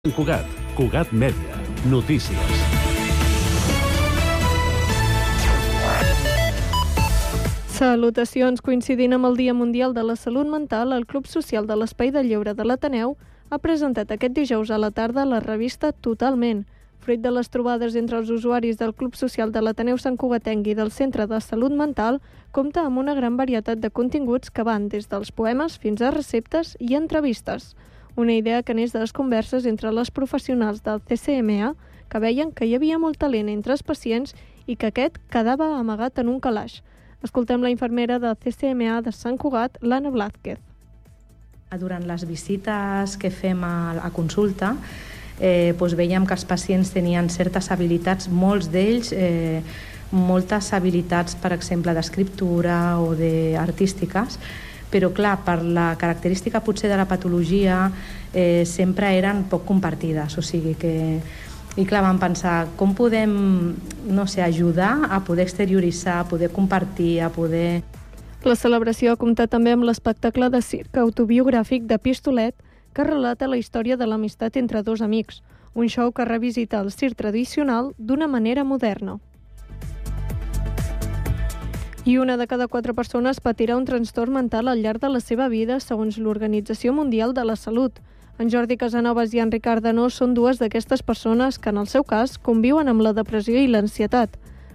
Sant Cugat, Cugat Mèdia, notícies. Salutacions. Coincidint amb el Dia Mundial de la Salut Mental, el Club Social de l'Espai de Lleure de l'Ateneu ha presentat aquest dijous a la tarda la revista Totalment. Fruit de les trobades entre els usuaris del Club Social de l'Ateneu Sant Cugatenc i del Centre de Salut Mental, compta amb una gran varietat de continguts que van des dels poemes fins a receptes i entrevistes. Una idea que neix de les converses entre les professionals del CCMA, que veien que hi havia molt talent entre els pacients i que aquest quedava amagat en un calaix. Escoltem la infermera del CCMA de Sant Cugat, l'Anna Blázquez. Durant les visites que fem a consulta, veiem que els pacients tenien certes habilitats, molts d'ells, moltes habilitats, per exemple, d'escriptura o d'artístiques, però clar, per la característica potser de la patologia sempre eren poc compartides, o sigui que... I clar, vam pensar, com podem, ajudar a poder exterioritzar, a poder compartir, a poder... La celebració ha comptat també amb l'espectacle de circ autobiogràfic de Pistolet, que relata la història de l'amistat entre dos amics, un show que revisita el circ tradicional d'una manera moderna. I una de cada 4 persones patirà un trastorn mental al llarg de la seva vida, segons l'Organització Mundial de la Salut. En Jordi Casanovas i en Ricard Danó són dues d'aquestes persones que, en el seu cas, conviuen amb la depressió i l'ansietat.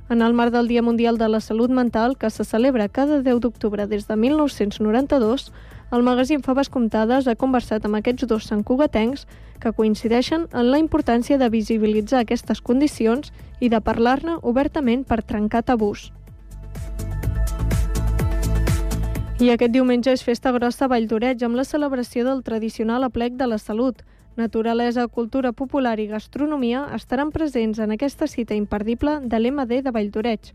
En el marc del Dia Mundial de la Salut Mental, que se celebra cada 10 d'octubre des de 1992, el magazín Faves Comptades ha conversat amb aquests dos santcugatencs que coincideixen en la importància de visibilitzar aquestes condicions i de parlar-ne obertament per trencar tabús. I aquest diumenge és festa grossa a Vall d'Oreig amb la celebració del tradicional aplec de la salut. Naturalesa, cultura popular i gastronomia estaran presents en aquesta cita imperdible de l'MD de Vall d'Oreig.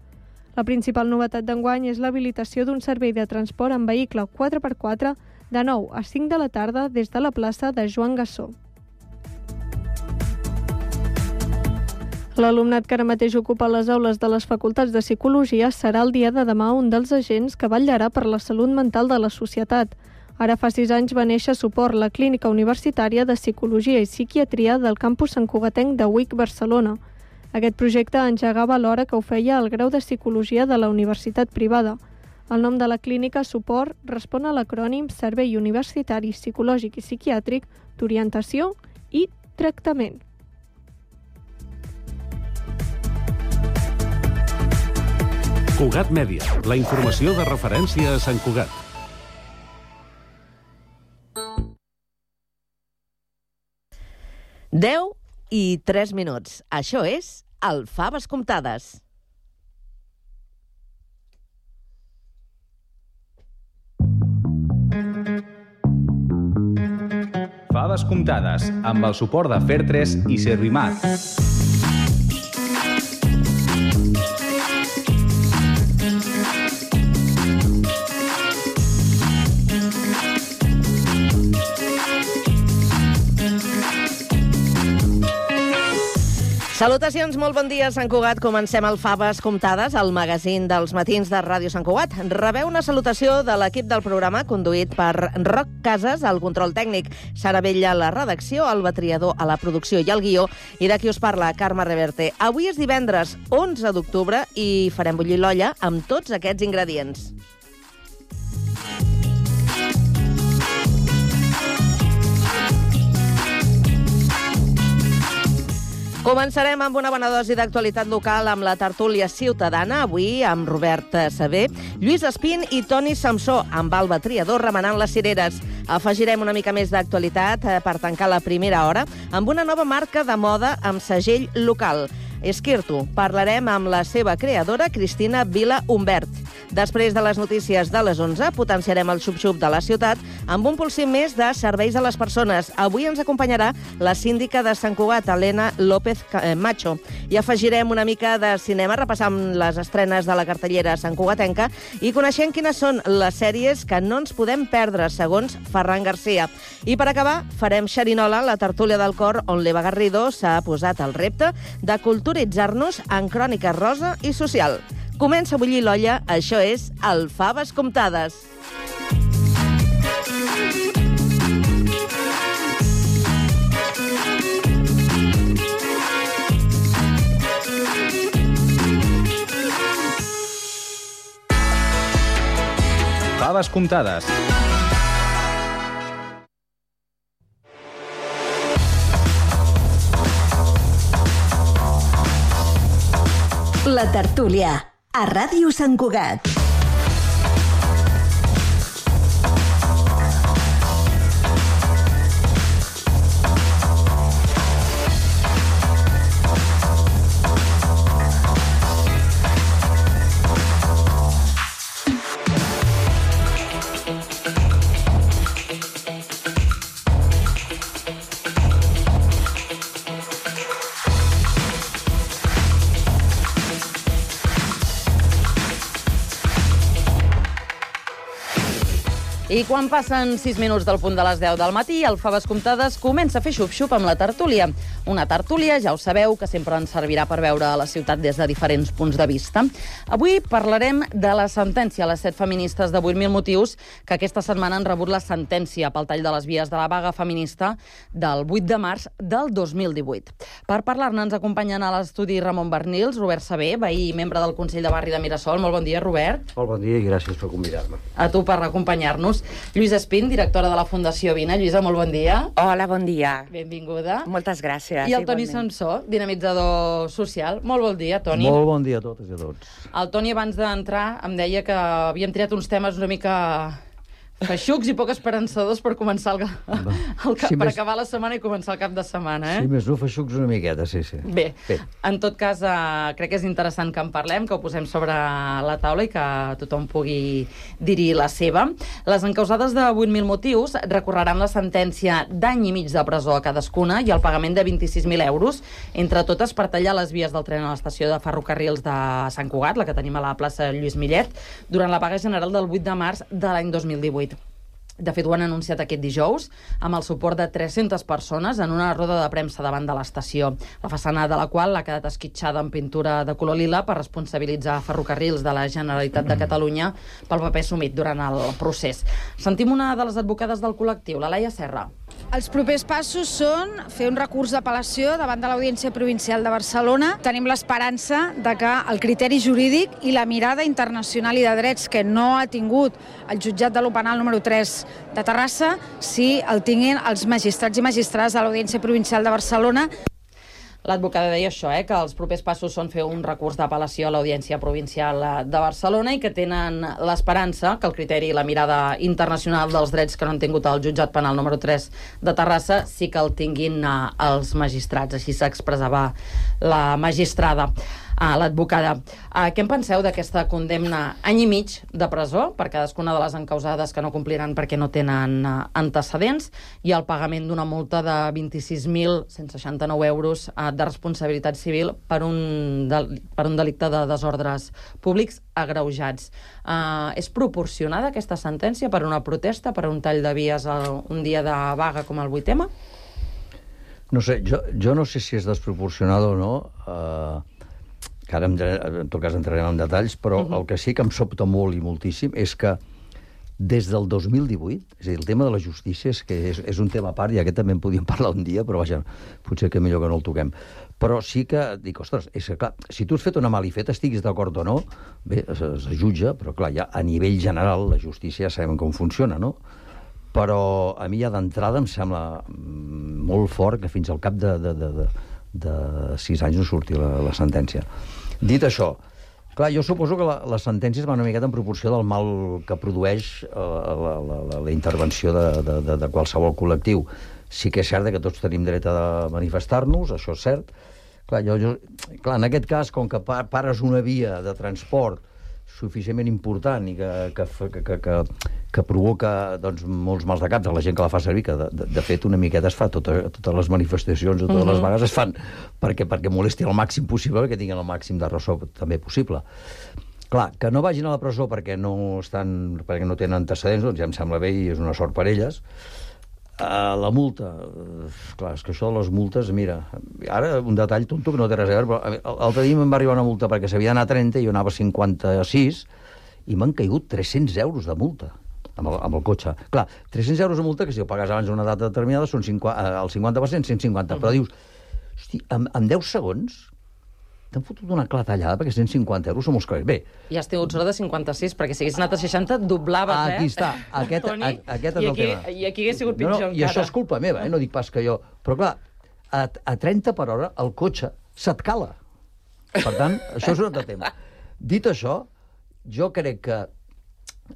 La principal novetat d'enguany és l'habilitació d'un servei de transport en vehicle 4x4 de 9 a 5 de la tarda des de la plaça de Joan Gassó. L'alumnat que ara mateix ocupa les aules de les facultats de Psicologia serà el dia de demà un dels agents que vetllarà per la salut mental de la societat. Ara fa 6 anys va néixer Suport, la clínica universitària de Psicologia i Psiquiatria del campus santcugatenc de UIC Barcelona. Aquest projecte engegava alhora que ho feia el grau de Psicologia de la universitat privada. El nom de la clínica Suport respon a l'acrònim Servei Universitari Psicològic i Psiquiàtric d'Orientació i Tractament. Cugat Mèdia, la informació de referència a Sant Cugat. Deu i 3 minuts. Això és el Faves Comptades. Faves Comptades, amb el suport de Fer3 i Servimat. Salutacions, molt bon dia, Sant Cugat. Comencem el Faves Comptades, el magazín dels matins de Ràdio Sant Cugat. Rebeu una salutació de l'equip del programa, conduït per Roc Casas, al control tècnic, Sara Bella a la redacció, Alba Triador a la producció i al guió, i de qui us parla, Carme Reverte. Avui és divendres 11 d'octubre i farem bullir l'olla amb tots aquests ingredients. Començarem amb una bona dosi d'actualitat local amb la tertúlia ciutadana, avui amb Robert Saber, Lluís Espín i Toni Samsó, amb Alba Triador remenant les cireres. Afegirem una mica més d'actualitat per tancar la primera hora amb una nova marca de moda amb segell local. Esquirto. Parlarem amb la seva creadora, Cristina Vila Humbert. Després de les notícies de les 11, potenciarem el xup-xup de la ciutat amb un pulsim més de serveis a les persones. Avui ens acompanyarà la síndica de Sant Cugat, Elena López Macho. I afegirem una mica de cinema, repassant les estrenes de la cartellera santcugatenca i coneixent quines són les sèries que no ens podem perdre, segons Ferran Garcia. I per acabar, farem xerinola, la tertúlia del cor, on l'Eva Garrido s'ha posat el repte de culturitzar-nos en crònica rosa i social. Comença a bullir l'olla, això és el Faves Comptades. faves comptades. La tertúlia, a Ràdio Sant Cugat. I quan passen 6 minuts del punt de les 10 del matí, el Faves Comptades comença a fer xup-xup amb la tertúlia. Una tertúlia, ja ho sabeu, que sempre ens servirà per veure la ciutat des de diferents punts de vista. Avui parlarem de la sentència a les 7 feministes de 8.000 motius que aquesta setmana han rebut la sentència pel tall de les vies de la vaga feminista del 8 de març del 2018. Per parlar-ne ens acompanyen a l'estudi Ramon Bernils, Robert Saber, veí i membre del Consell de Barri de Mirasol. Molt bon dia, Robert. Molt bon dia i gràcies per convidar-me. A tu per acompanyar-nos. Lluïsa Espín, directora de la Fundació Vina. Lluïsa, molt bon dia. Hola, bon dia. Benvinguda. Moltes gràcies. I el Toni Samsó, dinamitzador social. Molt bon dia, Toni. Molt bon dia a totes i a tots. El Toni, abans d'entrar, em deia que havíem triat uns temes una mica feixucs i poc esperançadors per començar per acabar la setmana i començar el cap de setmana, Sí, més no, feixucs una miqueta, sí. Bé, en tot cas, crec que és interessant que en parlem, que ho posem sobre la taula i que tothom pugui dir-hi la seva. Les encausades de 8.000 motius recorreran la sentència d'any i mig de presó a cadascuna i el pagament de 26.000 euros, entre totes per tallar les vies del tren a l'estació de ferrocarrils de Sant Cugat, la que tenim a la plaça Lluís Millet, durant la vaga general del 8 de març de l'any 2018. De fet, ho han anunciat aquest dijous, amb el suport de 300 persones en una roda de premsa davant de l'estació, la façana de la qual ha quedat esquitxada en pintura de color lila per responsabilitzar Ferrocarrils de la Generalitat de Catalunya pel paper assumit durant el procés. Sentim una de les advocades del col·lectiu, la Laia Serra. Els propers passos són fer un recurs d'apel·lació davant de l'Audiència Provincial de Barcelona. Tenim l'esperança de que el criteri jurídic i la mirada internacional i de drets que no ha tingut el jutjat de lo penal número 3 de Terrassa, sí el tinguin els magistrats i magistrades de l'Audiència Provincial de Barcelona. L'advocada deia això, que els propers passos són fer un recurs d'apel·lació a l'Audiència Provincial de Barcelona i que tenen l'esperança que el criteri i la mirada internacional dels drets que no han tingut el jutjat penal número 3 de Terrassa sí que el tinguin els magistrats. Així s'expressava la magistrada. L'advocada. Què en penseu d'aquesta condemna any i mig de presó per cadascuna de les encausades que no compliran perquè no tenen antecedents i el pagament d'una multa de 26.169 euros de responsabilitat civil per un delicte de desordres públics agreujats? És proporcionada aquesta sentència per una protesta, per un tall de vies un dia de vaga com el 8M? No sé, jo no sé si és desproporcionada o no, que ara en tot cas entrarem en detalls, però el que sí que em sobta molt i moltíssim és que des del 2018, és a dir, el tema de la justícia és un tema a part, i aquest també en podíem parlar un dia, però vaja, potser que millor que no el toquem. Però sí que dic, ostres, és que clar, si tu has fet una malifeta, estiguis d'acord o no, bé, es jutja, però clar, ja a nivell general la justícia ja sabem com funciona, no? Però a mi ja d'entrada em sembla molt fort que fins al cap de 6 anys no surti la sentència. Dit això, clar, jo suposo que les sentències van una miqueta en proporció del mal que produeix la intervenció de qualsevol col·lectiu. Sí que és cert que tots tenim dret a manifestar-nos, això és cert. Clar, en aquest cas, com que pares una via de transport suficientment important i que provoca doncs, molts mals de caps a la gent que la fa servir, que de fet una miqueta es fa, totes les manifestacions, totes les vagues es fan perquè molesti el màxim possible, perquè tinguin el màxim de ressò també possible. Clar, que no vagin a la presó perquè no tenen antecedents, doncs ja em sembla bé i és una sort per elles. La multa, clar, és que això de les multes, mira, ara un detall tonto que no té res a veure, però l'altre dia em va arribar una multa perquè s'havia d'anar a 30 i jo anava a 56 i m'han caigut 300 euros de multa amb el cotxe. Clar, 300 euros de multa que si ho pagues abans d'una data determinada són el 50%, 150, però dius, hosti, en 10 segons t'han fotut una clatellada perquè 150 euros són molts calés. Bé. I has tingut sort de 56, perquè si haguessis anat a 60, doblaves, Aquí està. Aquest és el tema. I aquí hagués sigut pitjor encara. I això és culpa meva, no dic pas que jo... Però clar, a 30 per hora el cotxe se't cala. Per tant, això és un altre tema. Dit això, jo crec que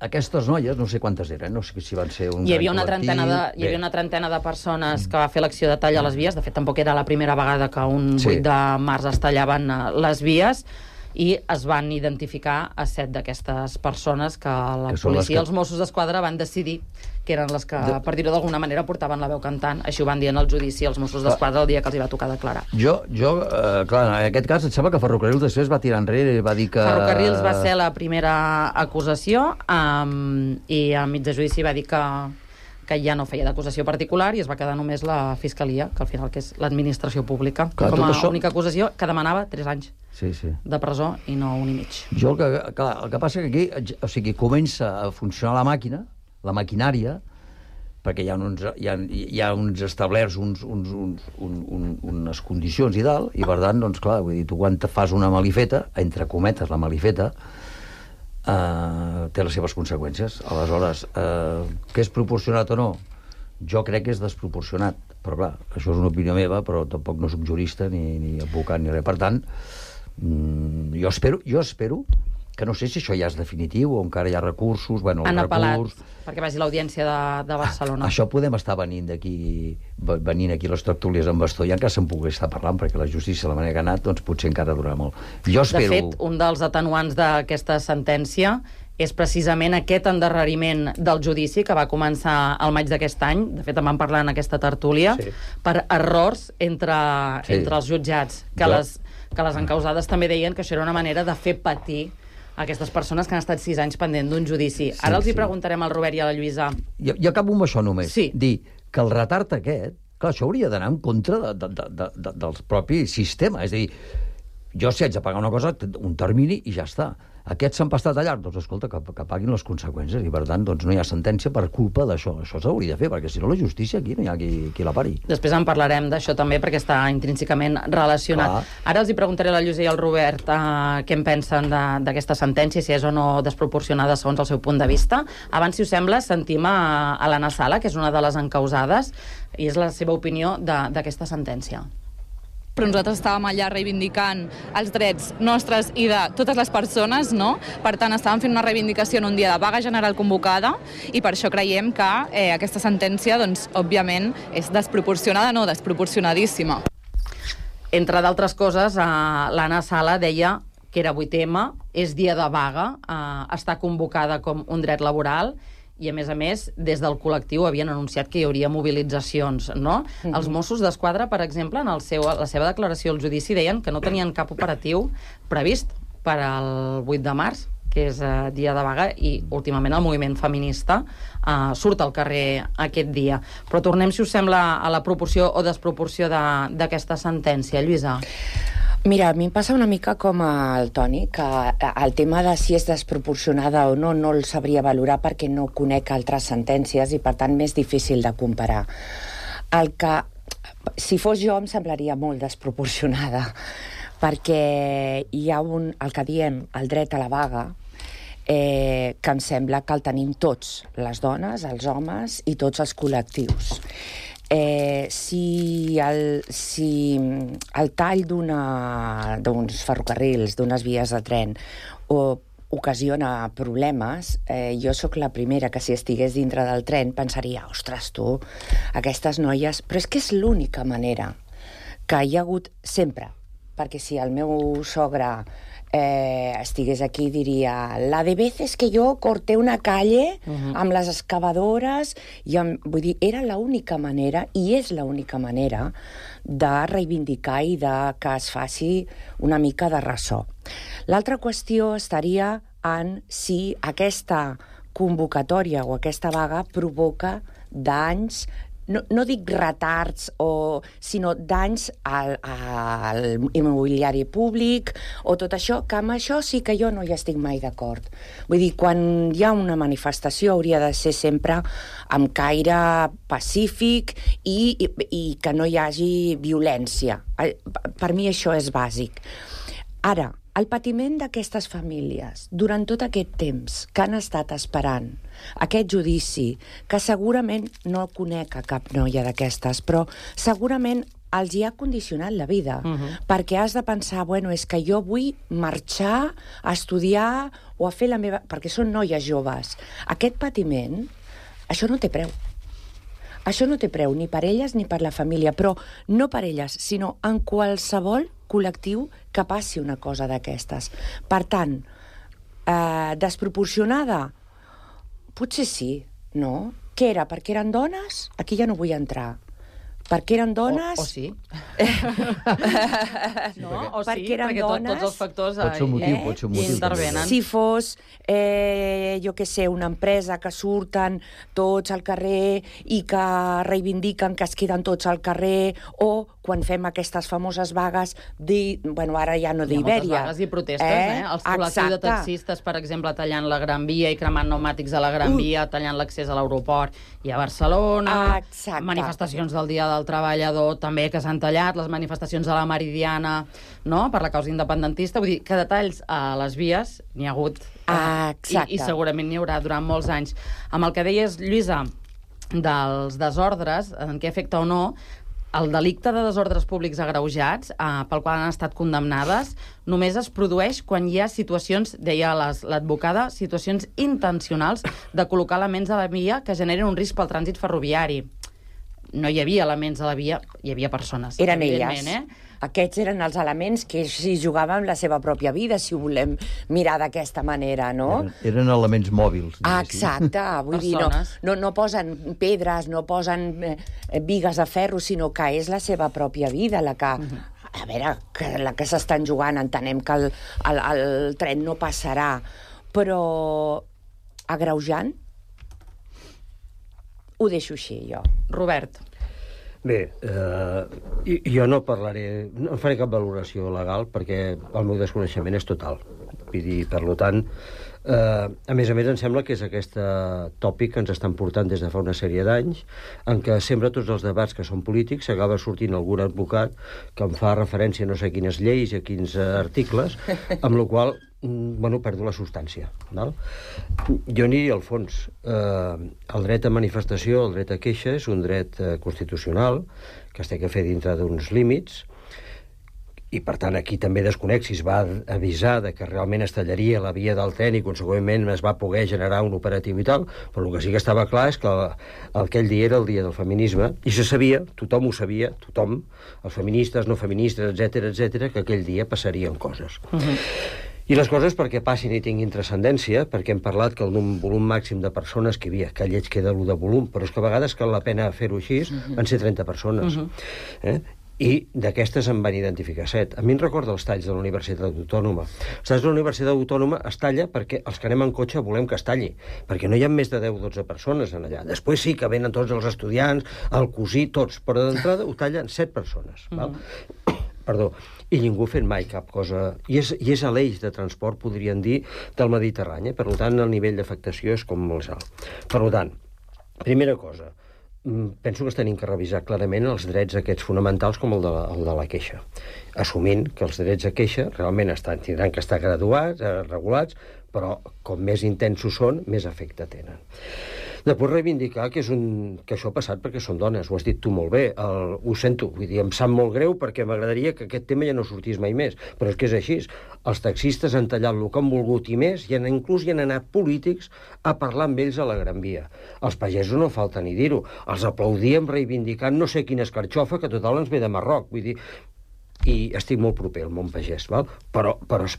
aquestes noies, no sé quantes eren, no sé si van ser un Hi havia una trentena de persones que va fer l'acció de tall a les vies. De fet, tampoc era la primera vegada que un 8 de març es tallaven les vies, i es van identificar a 7 d'aquestes persones que la policia i els Mossos d'Esquadra van decidir que eren les que, per dir-ho d'alguna manera, portaven la veu cantant. Així ho van dir en el judici els Mossos d'Esquadra el dia que els hi va tocar declarar. Clar, en aquest cas, et sembla que Ferrocarrils després va tirar enrere i va dir que... Ferrocarrils va ser la primera acusació i al mig de judici va dir que ja no feia d'acusació particular i es va quedar només la Fiscalia, que al final que és l'administració pública, com a única acusació, que demanava 3 anys de presó i no 1 i mig. Jo el que passa que aquí, o sigui, comença a funcionar la màquina, la maquinària, perquè hi ha uns establerts, unes condicions i tal, i per tant, doncs clar, vull dir, tu quan te fas una malifeta, entre cometes la malifeta, té les seves conseqüències. Aleshores, què és proporcionat o no? Jo crec que és desproporcionat, però clar, això és una opinió meva, però tampoc no soc jurista ni advocat ni res. Per tant, jo espero que no sé si això ja és definitiu o encara hi ha recursos. Han apel·lat perquè vagi l'Audiència de Barcelona. Això podem estar venint aquí les tertúlies amb bastó i encara se'n pugui estar parlant, perquè la justícia, la manera que ha anat, doncs potser encara durarà molt. De fet, un dels atenuants d'aquesta sentència és precisament aquest endarreriment del judici que va començar al maig d'aquest any. De fet, en vam parlar en aquesta tertúlia, per errors entre els jutjats, que les encausades també deien que això era una manera de fer patir aquestes persones que han estat 6 anys pendent d'un judici. Ara els hi preguntarem al Robert i a la Lluïsa. Jo acabo amb això només. Dir que el retard aquest, clar, això hauria d'anar en contra del propi sistema. És a dir, jo si haig de pagar una cosa, un termini i ja està. Aquests s'han pastat allà, doncs escolta, que paguin les conseqüències, i per tant doncs, no hi ha sentència per culpa d'això. Això s'hauria de fer, perquè si no la justícia aquí no hi ha qui la pari. Després en parlarem d'això també, perquè està intrínsecament relacionat. Ara els hi preguntaré a la Lluïsa i al Robert què en pensen d'aquesta sentència, si és o no desproporcionada segons el seu punt de vista. Abans, si us sembla, sentim a l'Anna Sala, que és una de les encausades, i és la seva opinió d'aquesta sentència. Però nosaltres estàvem allà reivindicant els drets nostres i de totes les persones, no? Per tant, estàvem fent una reivindicació en un dia de vaga general convocada i per això creiem que aquesta sentència, doncs, òbviament, és desproporcionada, no, desproporcionadíssima. Entre d'altres coses, l'Anna Sala deia que era 8M, és dia de vaga, està convocada com un dret laboral, i, a més, des del col·lectiu havien anunciat que hi hauria mobilitzacions, no? Els Mossos d'Esquadra, per exemple, en la seva declaració al judici, deien que no tenien cap operatiu previst per al 8 de març, que és dia de vaga, i últimament el moviment feminista surt al carrer aquest dia. Però tornem, si us sembla, a la proporció o desproporció d'aquesta sentència. Lluïsa? Mira, a mi em passa una mica com al Toni, que el tema de si és desproporcionada o no el sabria valorar perquè no conec altres sentències i, per tant, més difícil de comparar. Si fos jo, em semblaria molt desproporcionada, perquè hi ha el que diem el dret a la vaga, que em sembla que el tenim tots, les dones, els homes i tots els col·lectius. Si el tall d'uns ferrocarrils, d'unes vies de tren, ocasiona problemes, jo sóc la primera que si estigués dintre del tren pensaria, ostres, tu, aquestes noies... Però és que és l'única manera que hi ha hagut sempre, perquè si el meu sogre estigués aquí diria la de veces que jo corté una calle amb les excavadores vull dir, era l'única manera i és l'única manera de reivindicar i que es faci una mica de ressò. L'altra qüestió estaria en si aquesta convocatòria o aquesta vaga provoca danys, no dic retards, sinó danys al immobiliari públic o tot això, que amb això sí que jo no hi estic mai d'acord. Vull dir, quan hi ha una manifestació hauria de ser sempre amb caire pacífic i que no hi hagi violència. Per mi això és bàsic. Ara, el patiment d'aquestes famílies durant tot aquest temps que han estat esperant aquest judici, que segurament no conec a cap noia d'aquestes, però segurament els hi ha condicionat la vida, perquè has de pensar, bueno, és que jo vull marxar a estudiar o a fer la meva... perquè són noies joves. Aquest patiment, això no té preu. Això no té preu ni per elles ni per la família, però no per elles, sinó en qualsevol col·lectiu que passi una cosa d'aquestes. Per tant, desproporcionada? Potser sí, no? Què era? Perquè eren dones? Aquí ja no vull entrar. Perquè eren dones... O sí. No, o sí, perquè eren perquè dones... tots els factors pot ser un motiu, intervenen. Si fos, jo què sé, una empresa que surten tots al carrer i que reivindiquen que es queden tots al carrer, o quan fem aquestes famoses vagues, bueno, ara ja no d'Ibèria. Hi ha moltes vagues i protestes, Els col·lectius de taxistes, per exemple, tallant la Gran Via i cremant pneumàtics a la Gran Via, tallant l'accés a l'aeroport i a Barcelona. Manifestacions del Dia del Treballador també que s'han tallat, les manifestacions a la Meridiana, no?, per la causa independentista. Vull dir que detalls a les vies n'hi ha hagut i segurament n'hi haurà durant molts anys. Amb el que deies, Lluïsa, dels desordres, en què afecta o no, el delicte de desordres públics agreujats, pel qual han estat condemnades, només es produeix quan hi ha situacions, deia l'advocada, situacions intencionals de col·locar elements a la via que generen un risc pel trànsit ferroviari. No hi havia elements a la via, hi havia persones. Eren elles. Aquests eren els elements que s'hi jugaven la seva pròpia vida, si ho volem mirar d'aquesta manera, no? Eren elements mòbils. Exacte, vull dir, no posen pedres, no posen bigues de ferro, sinó que és la seva pròpia vida la que... A veure, la que s'estan jugant, entenem que el tren no passarà, però agreujant ho deixo així, jo. Robert. Bé, jo no faré cap valoració legal perquè el meu desconeixement és total. Vull dir, per tant, a més, em sembla que és aquest tòpic que ens estan portant des de fa una sèrie d'anys, en què sempre tots els debats que són polítics s'acaba sortint algun advocat que em fa referència a no sé quines lleis i a quins articles, amb la qual perdo la substància. Jo aniria al fons. El dret a manifestació, el dret a queixa, és un dret constitucional que es té que fer dintre d'uns límits, i per tant aquí també desconec si es va avisar de que realment es tallaria la via del tren i conseqüentment es va poder generar un operatiu i tal, però el que sí que estava clar és que aquell dia era el dia del feminisme i se sabia, tothom ho sabia, tothom, els feministes, no feministes, etc, que aquell dia passarien coses. I les coses perquè passin i tinguin transcendència, perquè hem parlat que el volum màxim de persones que hi havia, que lleig queda l'1 de volum, però és que a vegades cal la pena fer-ho així, van ser 30 persones. I d'aquestes en van identificar 7. A mi em recorda els talls de la Universitat Autònoma. Els talls de la Universitat Autònoma es talla perquè els que anem en cotxe volem que es talli, perquè no hi ha més de 10 o 12 persones en allà. Després sí que venen tots els estudiants, el cosí, tots, però d'entrada ho tallen 7 persones. Perdó, i ningú fent mai cap cosa... I és a l'eix de transport, podrien dir, del Mediterrani. Per tant, el nivell d'afectació és com molt alt. Per tant, primera cosa, penso que es tenim que revisar clarament els drets aquests fonamentals com el de la queixa, assumint que els drets de queixa realment tindran que estar graduats, regulats, però com més intensos són, més efecte tenen. Després reivindicar que això ha passat perquè són dones, ho has dit tu molt bé, ho sento, vull dir, em sap molt greu perquè m'agradaria que aquest tema ja no sortís mai més, però és que és així. Els taxistes han tallat el que han volgut i més, i inclús hi han anat polítics a parlar amb ells a la Gran Via. Els pagesos no falta ni dir-ho, els aplaudíem reivindicant no sé quina escarxofa que total ens ve de Marroc, vull dir, i estic molt proper al món pagès, val? Però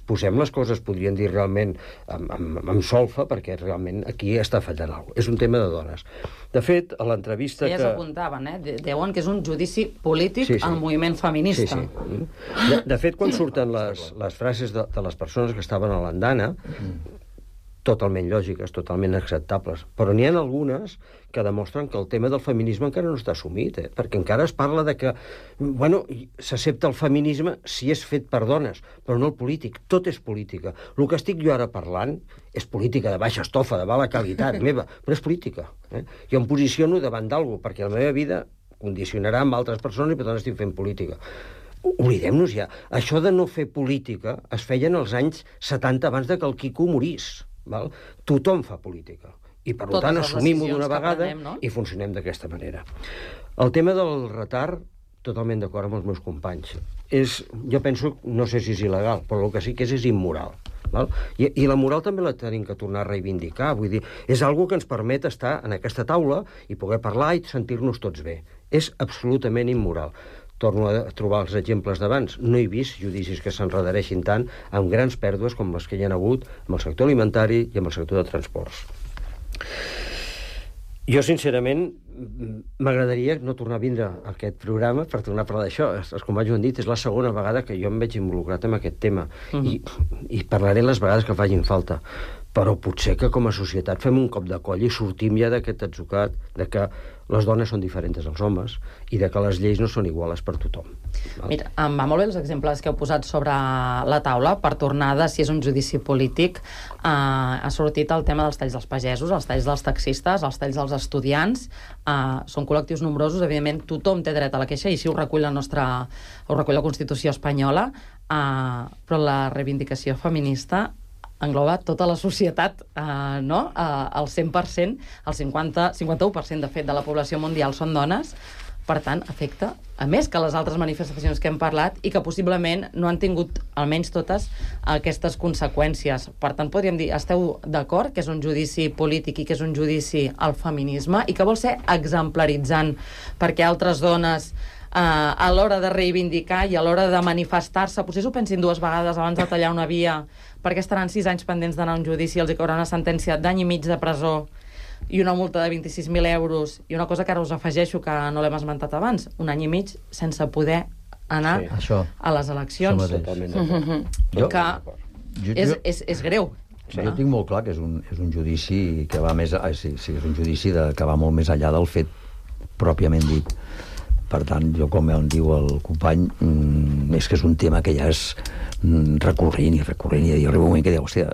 posem les coses, podrien dir realment amb solfa, perquè realment aquí està fallant alguna cosa. És un tema de dones. De fet, a l'entrevista Elles apuntaven, diuen que és un judici polític al moviment feminista. De fet, quan surten les frases de les persones que estaven a l'andana, totalment lògiques, totalment acceptables, però n'hi ha algunes que demostren que el tema del feminisme encara no està assumit, perquè encara es parla de que, s'accepta el feminisme si és fet per dones, però no el polític, tot és política. El que estic jo ara parlant és política de baixa estofa, de mala qualitat meva, però és política. Jo em posiciono davant d'algú, perquè la meva vida condicionarà amb altres persones i per tant estic fent política. oblidem-nos ja. Això de no fer política es feia en els anys 70 abans de que el Quico morís. Val? Tothom fa política. I, per tant, assumim-ho d'una vegada i funcionem d'aquesta manera. El tema del retard, totalment d'acord amb els meus companys. Jo penso, no sé si és il·legal, però el que sí que és immoral. Val? I la moral també la tenim que tornar a reivindicar. Vull dir, és algo que ens permet estar en aquesta taula i poder parlar i sentir-nos tots bé. És absolutament immoral. Torno a trobar els exemples d'abans. No he vist judicis que s'enredareixin tant amb grans pèrdues com les que hi ha hagut amb el sector alimentari i amb el sector de transports. Jo, sincerament, m'agradaria no tornar a vindre a aquest programa per tornar a parlar d'això. Els companys ho han dit, és la segona vegada que jo em veig involucrat en aquest tema. I parlaré les vegades que facin falta. Però potser que com a societat fem un cop de coll i sortim ja d'aquest atzucat de que les dones són diferents dels homes i de que les lleis no són iguals per tothom. Mira, em va molt bé els exemples que heu posat sobre la taula. Per tornar de si és un judici polític, ha sortit el tema dels talls dels pagesos, els talls dels taxistes, els talls dels estudiants. Són col·lectius nombrosos, evidentment tothom té dret a la queixa i així ho recull la Constitució espanyola, però la reivindicació feminista engloba tota la societat, no? El 100%, el 51% de fet de la població mundial són dones, per tant, afecta, a més que les altres manifestacions que hem parlat i que possiblement no han tingut, almenys totes, aquestes conseqüències. Per tant, podríem dir, esteu d'acord que és un judici polític i que és un judici al feminisme i que vol ser exemplaritzant perquè altres dones a l'hora de reivindicar i a l'hora de manifestar-se, potser s'ho pensin dues vegades abans de tallar una via, perquè estaran 6 anys pendents d'anar a un judici i els hi caurà una sentència d'any i mig de presó i una multa de 26.000 euros i una cosa que ara us afegeixo que no l'hem esmentat abans, un any i mig sense poder anar a les eleccions. És greu. Jo tinc molt clar que és un judici que va més... Sí, és un judici que va molt més enllà del fet pròpiament dit. Per tant, jo, com em diu el company, és que és un tema que ja és recurrent i hi arriba un moment que diu, hòstia,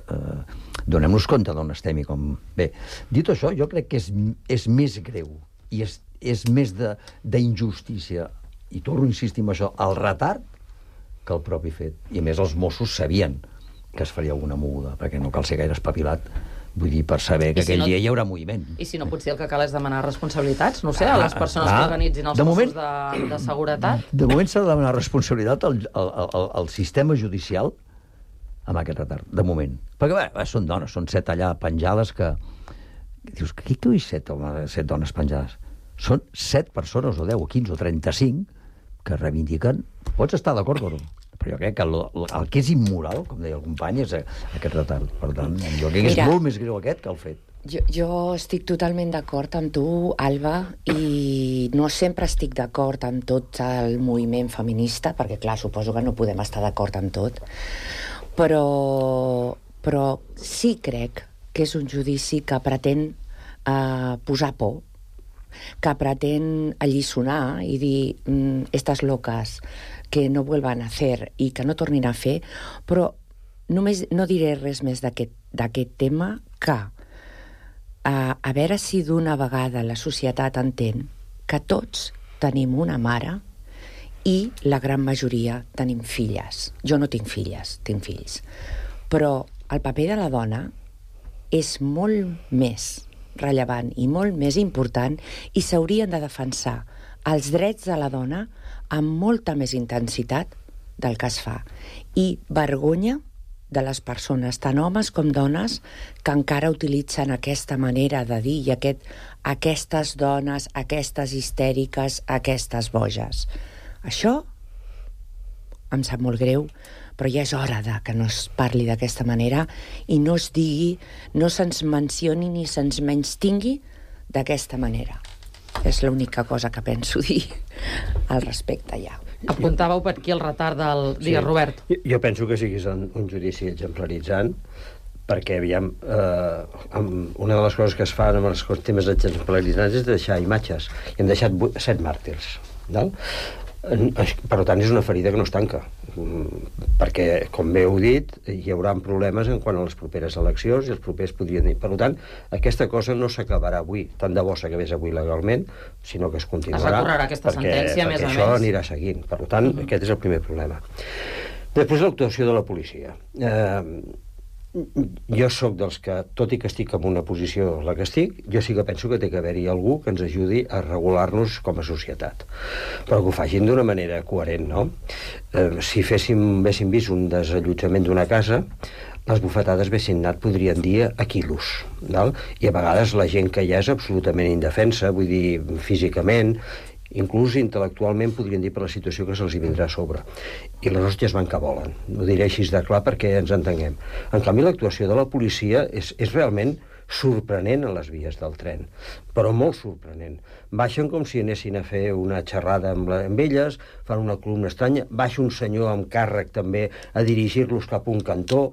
donem-nos compte d'on estem i com... Bé, dit això, jo crec que és més greu i és més d'injustícia, i torno a insistir en això, el retard que el propi fet. I a més els Mossos sabien que es faria alguna moguda, perquè no cal ser gaire espavilat, vull dir, per saber que aquell dia hi haurà moviment. I si no, potser el que cal és demanar responsabilitats, no sé, a les persones que organitzin els Mossos de seguretat. De moment s'ha de demanar responsabilitat al sistema judicial amb aquest retard, de moment. Perquè, bé, són dones, són 7 allà penjades que... Dius, qui tu hi 7 dones penjades? Són 7 persones, o 10, o 15, o 35, que reivindiquen... Pots estar d'acord o no? Però jo crec que el que és immoral, com deia el company, és aquest retard. Per tant, jo crec que és molt més greu aquest que el fet. Jo estic totalment d'acord amb tu, Alba, i no sempre estic d'acord amb tot el moviment feminista, perquè, clar, suposo que no podem estar d'acord amb tot, però sí crec que és un judici que pretén posar por, que pretén alliçonar i dir estas locas que no vuelvan a hacer i que no tornin a fer, però només no diré res més d'aquest tema que a veure si d'una vegada la societat entén que tots tenim una mare i la gran majoria tenim filles. Jo no tinc filles, tinc fills. Però el paper de la dona és molt més rellevant i molt més important i s'haurien de defensar els drets de la dona amb molta més intensitat del que es fa. I vergonya de les persones, tant homes com dones, que encara utilitzen aquesta manera de dir i aquestes dones, aquestes histèriques, aquestes boges. Això em sap molt greu, però ja és hora que no es parli d'aquesta manera i no es digui, no se'ns mencioni ni se'ns menystingui d'aquesta manera. És l'única cosa que penso dir al respecte ja. Apuntàveu per aquí el retard del... Digues, Robert. Jo penso que siguis un judici exemplaritzant, perquè, aviam, una de les coses que es fan amb els temes exemplaritzants és deixar imatges. I hem deixat 7 màrtirs. Per tant, és una ferida que no es tanca, perquè, com bé heu dit, hi haurà problemes en quant a les properes eleccions i els propers podrien dir. Per tant, aquesta cosa no s'acabarà avui, tant de bo s'acabés avui legalment, sinó que es continuarà. Es recorrerà aquesta sentència, a més a més. Perquè això anirà seguint. Per tant, aquest és el primer problema. Després, l'actuació de la policia. Jo sóc dels que, tot i que estic en una posició la que estic, jo sí que penso que té que haver-hi algú que ens ajudi a regular-nos com a societat, però que ho facin d'una manera coherent, no? Si haguéssim vist un desallotjament d'una casa, les bufetades haguessin anat, podrien dir, a quilos, val? I a vegades la gent que hi ha és absolutament indefensa, vull dir, físicament, inclús intel·lectualment podrien dir per la situació que se'ls vindrà a sobre. I les hòsties van que volen. Ho diré així de clar perquè ens entenguem. En canvi, l'actuació de la policia és realment sorprenent a les vies del tren, però molt sorprenent. Baixen com si anessin a fer una xerrada amb elles, fan una columna estranya, baixa un senyor amb càrrec també a dirigir-los cap a un cantó.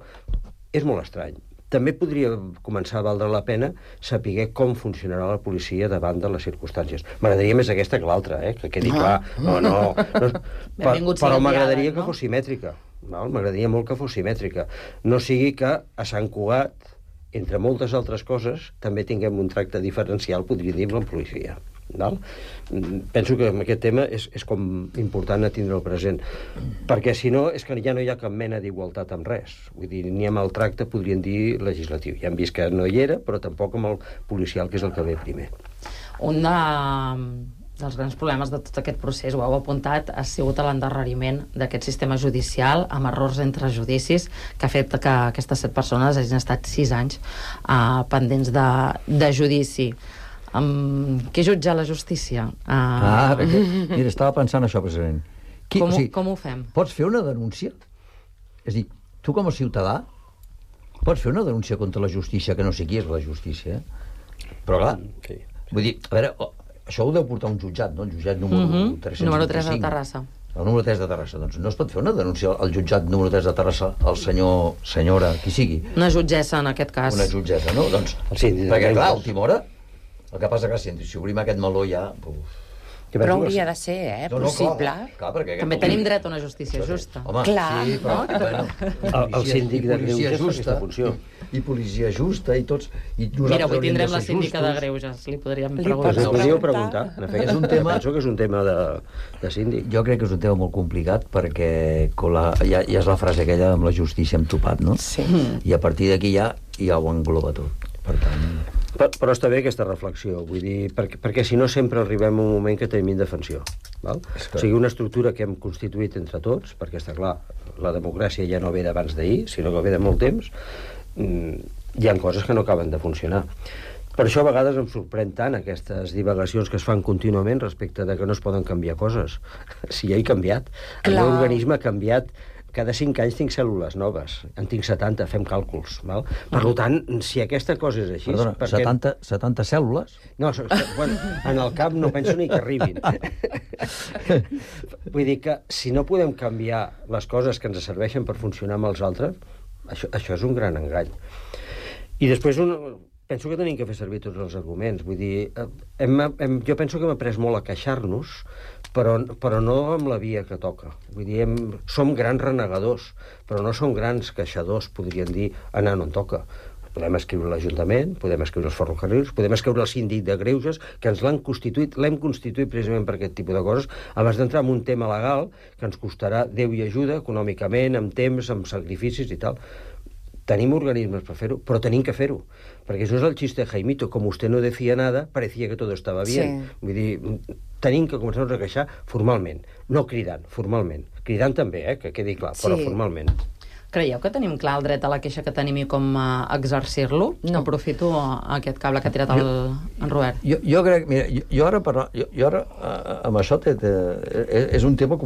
És molt estrany. També podria començar a valdre la pena saber com funcionarà la policia davant de les circumstàncies. M'agradaria més aquesta que l'altra, que quedi clar. No. Però m'agradaria que fos simètrica. M'agradaria molt que fos simètrica. No sigui que a Sant Cugat, entre moltes altres coses, també tinguem un tracte diferencial, podria dir, amb la policia. Penso que aquest tema és com important a tindre-ho present, perquè si no és que ja no hi ha cap mena d'igualtat amb res. Vull dir, ni amb el tracte podrien dir legislatiu. Ja hem vist que no hi era, però tampoc amb el policial, que és el que ve primer. Un dels grans problemes de tot aquest procés, ho heu apuntat, ha sigut l'endarreriment d'aquest sistema judicial amb errors entre judicis que ha fet que aquestes 7 persones hagin estat 6 anys pendents de judici. Què jutja la justícia? Mira, estava pensant això precisament. Com ho fem? Pots fer una denúncia? És a dir, tu com a ciutadà pots fer una denúncia contra la justícia, que no sé qui és la justícia, però clar, vull dir, a veure, això ho deu portar un jutjat, no? El jutjat número 325. Número 3 de Terrassa. El número 3 de Terrassa. Doncs no es pot fer una denúncia al jutjat número 3 de Terrassa, al senyora, qui sigui. Una jutgessa, en aquest cas. Una jutgessa, no? Doncs, perquè clar, a última hora, el que passa que si obrim aquest meló ja... Però hauria de ser, possible. Clar, també tenim dret a una justícia justa. Home, sí, però... El síndic de Greuges fa aquesta funció. I policia justa, i tots... Mira, avui tindrem la síndica de Greuges, li podríem preguntar. Li podríeu preguntar, en efecte. Penso que és un tema de síndic. Jo crec que és un tema molt complicat, perquè ja és la frase aquella amb la justícia hem topat, no? Sí. I a partir d'aquí ja ho engloba tot. Per tant... Però està bé aquesta reflexió, vull dir, perquè si no sempre arribem a un moment que tenim indefensió. O sigui, una estructura que hem constituït entre tots, perquè està clar, la democràcia ja no ve d'abans d'ahir, sinó que ve de molt temps, hi ha coses que no acaben de funcionar. Per això a vegades em sorprèn tant aquestes divagacions que es fan contínuament respecte de que no es poden canviar coses. Si ja he canviat, el meu organisme ha canviat. Cada 5 anys tinc cèl·lules noves, en tinc 70, fem càlculs. Val? Per tant, si aquesta cosa és així... Perdona, perquè... 70 cèl·lules? No, en el cap no penso ni que arribin. Vull dir que si no podem canviar les coses que ens serveixen per funcionar amb els altres, això és un gran engany. I després penso que tenim que fer servir tots els arguments. Vull dir, jo penso que hem après molt a queixar-nos, però no amb la via que toca. Vull dir, som grans renegadors, però no som grans queixadors, podríem dir, anant on toca. Podem escriure l'Ajuntament, podem escriure els ferrocarrils, podem escriure el síndic de Greuges, que ens l'hem constituït precisament per aquest tipus de coses, abans d'entrar en un tema legal que ens costarà Déu i ajuda, econòmicament, amb temps, amb sacrificis i tal. Tenim organismes per fer-ho, però tenim que fer-ho. Perquè això és el xiste de Jaimito. Com usted no decía nada, parecía que todo estaba bien. Sí. Vull dir, tenim que començar-nos a queixar formalment, no cridant, formalment. Cridant també, que quedi clar, però formalment. Creieu que tenim clar el dret a la queixa que tenim i com exercir-lo? No. Aprofito aquest cable que ha tirat en Robert. Jo crec... Mira, jo ara amb això és un tema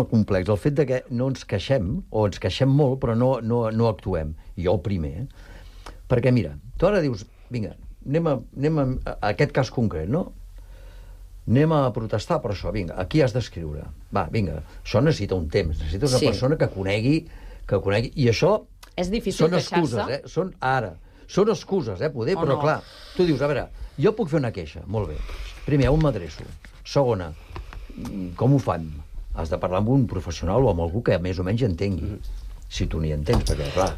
complex. El fet de que no ens queixem, o ens queixem molt, però no actuem. I jo el primer. Perquè, mira, tu ara dius, vinga, anem a aquest cas concret, no? Anem a protestar per això, vinga, aquí has d'escriure. Va, vinga, això necessita un temps, necessita una persona que conegui, i això... És difícil queixar-se? Són excuses, poder, però no? Clar, tu dius, a veure, jo puc fer una queixa, molt bé. Primer, on m'adreço? Segona, com ho fan? Has de parlar amb un professional o amb algú que més o menys entengui. Si tu n'hi entens, perquè, clar,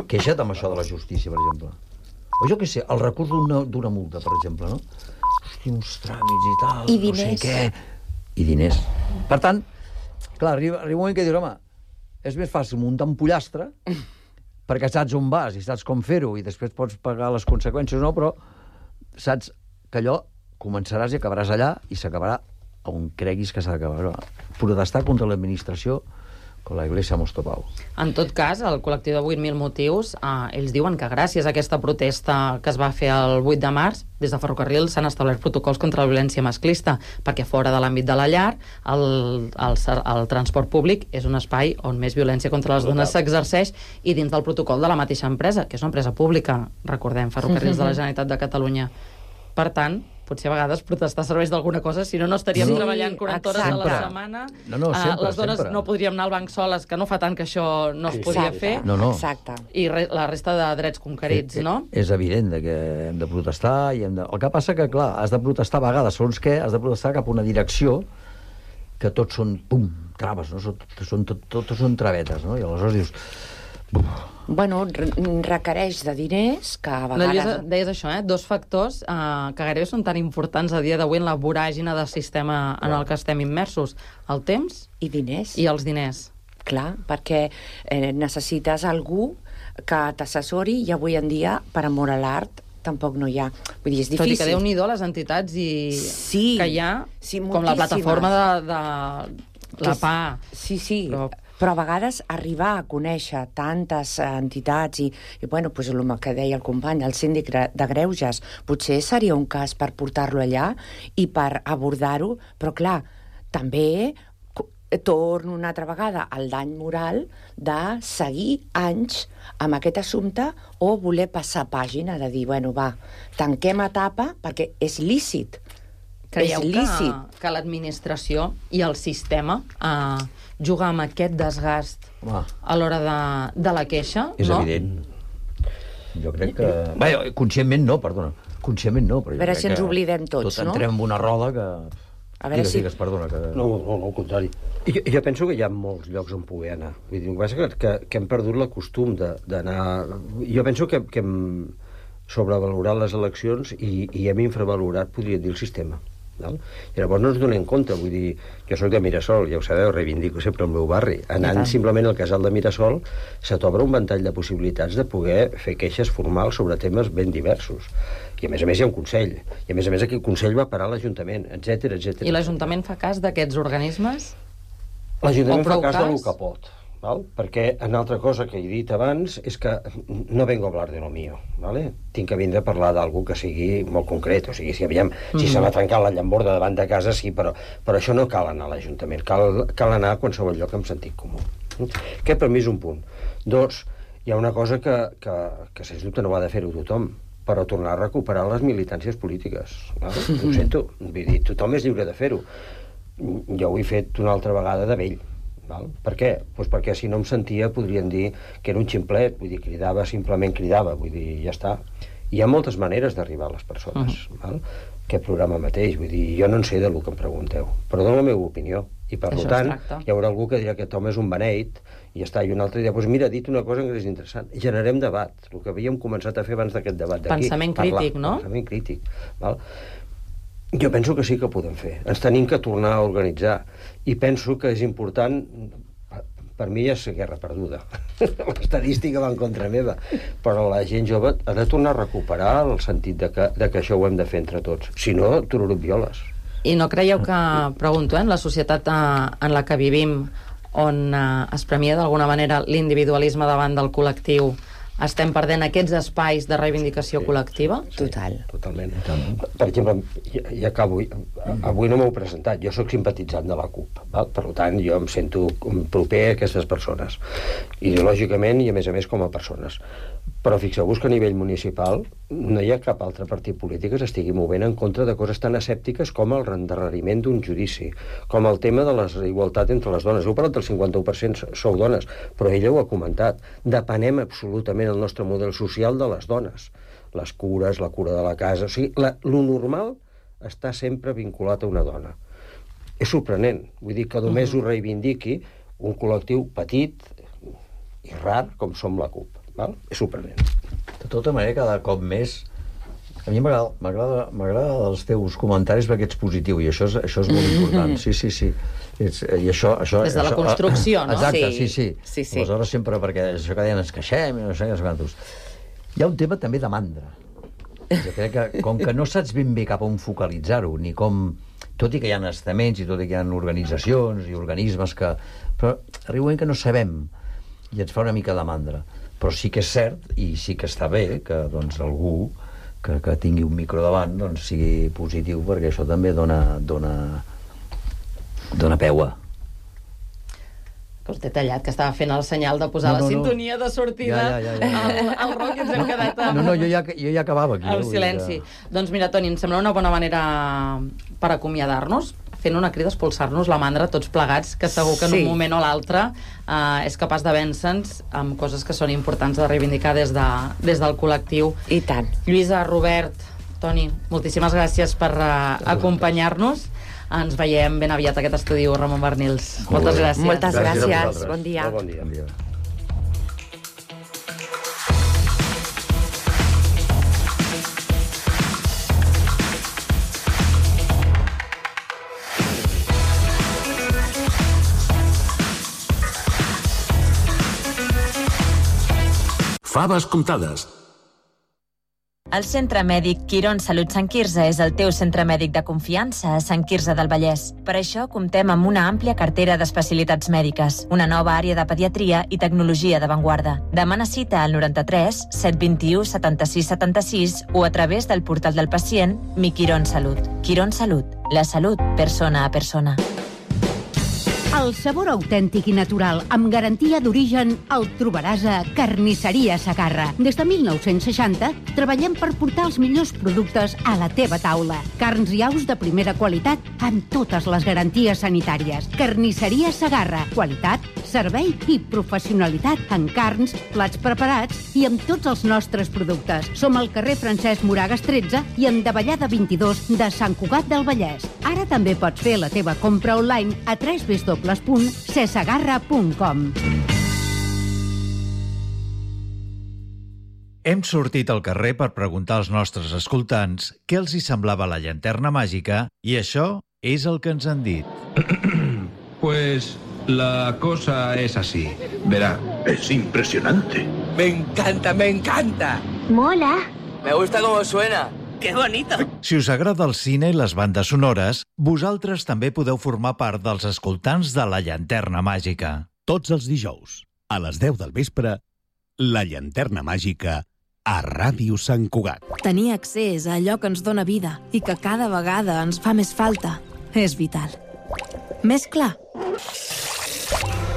queixa't amb això de la justícia, per exemple. O jo què sé, el recurs d'una multa, per exemple, no? Hosti, uns tràmits i tal, I diners. no sé què. I diners. Per tant, clar, arriba un moment que dius, home, és més fàcil muntar un pollastre perquè saps on vas i saps com fer-ho i després pots pagar les conseqüències, no? Però saps que allò començaràs i acabaràs allà i s'acabarà on creguis que s'ha d'acabar. Protestar contra l'administració con la Iglesia hemos topado. En tot cas, el col·lectiu de 8.000 motius, ells diuen que gràcies a aquesta protesta que es va fer el 8 de març, des de Ferrocarril s'han establert protocols contra la violència masclista, perquè fora de l'àmbit de la llar, el transport públic és un espai on més violència contra les dones s'exerceix, i dins del protocol de la mateixa empresa, que és una empresa pública, recordem, Ferrocarrils de la Generalitat de Catalunya. Per tant, potser a vegades protestar serveix d'alguna cosa, si no, no estaríem treballant 40 hores a la setmana. No, sempre, les dones no podríem anar al banc soles, que no fa tant que això no es podia fer. No. Exacte. I la resta de drets conquerits, no? És evident que hem de protestar i hem de... El que passa que, clar, has de protestar a vegades, segons què, has de protestar cap a una direcció que tots són, pum, traves, no? Tots són travetes, no? I aleshores dius... Bueno, requereix de diners que a vegades... Lluïsa, deies això, dos factors que gairebé són tan importants a dia d'avui en la voràgina del sistema en el que estem immersos. El temps i diners. I els diners. Clar, perquè necessites algú que t'assessori i avui en dia, per amor a l'art, tampoc no hi ha. Vull dir, és difícil. Tot i que Déu-n'hi-do les entitats que hi ha, com la plataforma de la PA. Sí. Però a vegades arribar a conèixer tantes entitats i bueno, pues el que deia el company, el síndic de Greuges, potser seria un cas per portar-lo allà i per abordar-ho, però clar, també torno una altra vegada al dany moral de seguir anys amb aquest assumpte o voler passar pàgina, de dir, bueno, va, tanquem etapa, perquè és lícit. Creieu que l'administració i el sistema juga amb aquest desgast a l'hora de la queixa? És evident. Jo crec que... Bé, conscientment no, perdona. Conscientment no, però a veure si ens oblidem tots, no? Tot entrem en una roda que... A veure si... Digues, perdona. Que... No, al contrari. Jo penso que hi ha molts llocs on poder anar. Vull dir, el que passa que hem perdut la costum d'anar... Jo penso que hem sobrevalorat les eleccions i hem infravalorat, podria dir, el sistema. Val? I llavors no ens donem compte, vull dir, jo soc de Mirasol, ja ho sabeu, reivindico sempre el meu barri, anant simplement al casal de Mirasol se t'obre un ventall de possibilitats de poder fer queixes formals sobre temes ben diversos, i a més hi ha un Consell, i a més aquest Consell va parar l'Ajuntament, etc. I l'Ajuntament fa cas d'aquests organismes? L'Ajuntament fa cas del que pot, val? Perquè una altra cosa que he dit abans és que no vengo a hablar de lo mío, ¿vale? Tinc que vindre a parlar d'algú que sigui molt concret, o sigui, si se m'ha trencat la llamborda davant de casa, sí, però això no cal anar a l'Ajuntament, cal anar a qualsevol lloc amb sentit comú. Aquest per mi és un punt. Dos, hi ha una cosa que sens dubte no va de fer-ho tothom, però tornar a recuperar les militàncies polítiques. Ho sento, vull dir, tothom és lliure de fer-ho. Jo ho he fet una altra vegada de vell. Val? Per què? Pues perquè si no em sentia podrien dir que era un ximplet, vull dir, simplement cridava, vull dir, ja està. Hi ha moltes maneres d'arribar a les persones, val? Aquest programa mateix, vull dir, jo no en sé del que em pregunteu, però dono la meva opinió, i per tant hi haurà algú que dirà que aquest home és un beneit, i ja està, i un altre dirà, doncs mira, ha dit una cosa que és interessant, generem debat, el que havíem començat a fer abans d'aquest debat d'aquí. Pensament crític, no? Pensament crític, val? Jo penso que sí que ho podem fer. Ens tenim que tornar a organitzar. I penso que és important... Per mi ja és guerra perduda. L'estadística va en contra meva. Però la gent jove ha de tornar a recuperar el sentit de que això ho hem de fer entre tots. Si no, tururup violes. I no creieu que, pregunto, en la societat en la que vivim, on es premia d'alguna manera l'individualisme davant del col·lectiu, estem perdent aquests espais de reivindicació col·lectiva? Total. Totalment. Per exemple, ja acabo, avui no m'heu presentat, jo sóc simpatitzant de la CUP, val? Per tant, jo em sento proper a aquestes persones, ideològicament i a més com a persones. Però fixeu-vos que a nivell municipal no hi ha cap altre partit polític que s'estigui movent en contra de coses tan escèptiques com el endarreriment d'un judici, com el tema de la igualtat entre les dones. Heu parlat del 51% sou dones, però ella ho ha comentat. Depenem absolutament el nostre model social de les dones. Les cures, la cura de la casa... O sigui, lo normal està sempre vinculat a una dona. és sorprenent. Vull dir que només ho reivindiqui un col·lectiu petit i rar com som la CUP. Val? És sorprenent. De tota manera, cada cop més... A mi m'agrada els teus comentaris perquè ets positiu i això és molt important. Sí. I això, des de la construcció, no? Exacte, sí. Aleshores sempre, perquè això que deien ens queixem i no sé quantos. Hi ha un tema també de mandra. Jo crec que, com que no saps ben bé cap on focalitzar-ho, ni com... Tot i que hi ha estaments i tot i que hi ha organitzacions i organismes que... Però arriba un moment que no sabem i ens fa una mica de mandra. Però sí que és cert i sí que està bé que doncs, algú que tingui un micro davant doncs, sigui positiu, perquè això també dona peu a... Que us he tallat, que estava fent el senyal de posar la sintonia de sortida al rock i ens hem quedat amb... jo ja acabava aquí. El silenci. Doncs mira, Toni, em sembla una bona manera per acomiadar-nos, fent una crida a expulsar-nos la mandra tots plegats, que segur que en un moment o l'altre és capaç de vèncer-nos amb coses que són importants de reivindicar des del col·lectiu. I tant. Lluïsa, Robert, Toni, moltíssimes gràcies per acompanyar-nos. Ens veiem ben aviat a aquest estudi Ramon Barnils. Moltes gràcies. Moltes gràcies. Bon dia. Bon dia. Faves comptades. El Centre Mèdic Quirón Salut Sant Quirze és el teu centre mèdic de confiança a Sant Quirze del Vallès. Per això comptem amb una àmplia cartera d'especialitats mèdiques, una nova àrea de pediatria i tecnologia d'avantguarda. Demana cita al 93 721 76 76 o a través del portal del pacient Mi Quirón Salut. Quirón Salut, la salut persona a persona. El sabor autèntic i natural, amb garantia d'origen, el trobaràs a Carnisseria Segarra. Des de 1960 treballem per portar els millors productes a la teva taula. Carns i aus de primera qualitat amb totes les garanties sanitàries. Carnisseria Segarra. Qualitat, servei i professionalitat en carns, plats preparats i amb tots els nostres productes. Som al carrer Francesc Moragas 13 i en Davallada 22 de Sant Cugat del Vallès. Ara també pots fer la teva compra online a www.cesegarra.com. Hem sortit al carrer per preguntar als nostres escoltants què els hi semblava la llanterna màgica i això és el que ens han dit. Pues la cosa es así. Verá, es impresionante. Me encanta, me encanta. Mola. Me gusta cómo suena. ¡Qué bonito! Si us agrada el cine i les bandes sonores, vosaltres també podeu formar part dels escoltants de La Llanterna Màgica. Tots els dijous, a les 10 del vespre, La Llanterna Màgica a Ràdio Sant Cugat. Tenir accés a allò que ens dóna vida i que cada vegada ens fa més falta és vital. Més clar?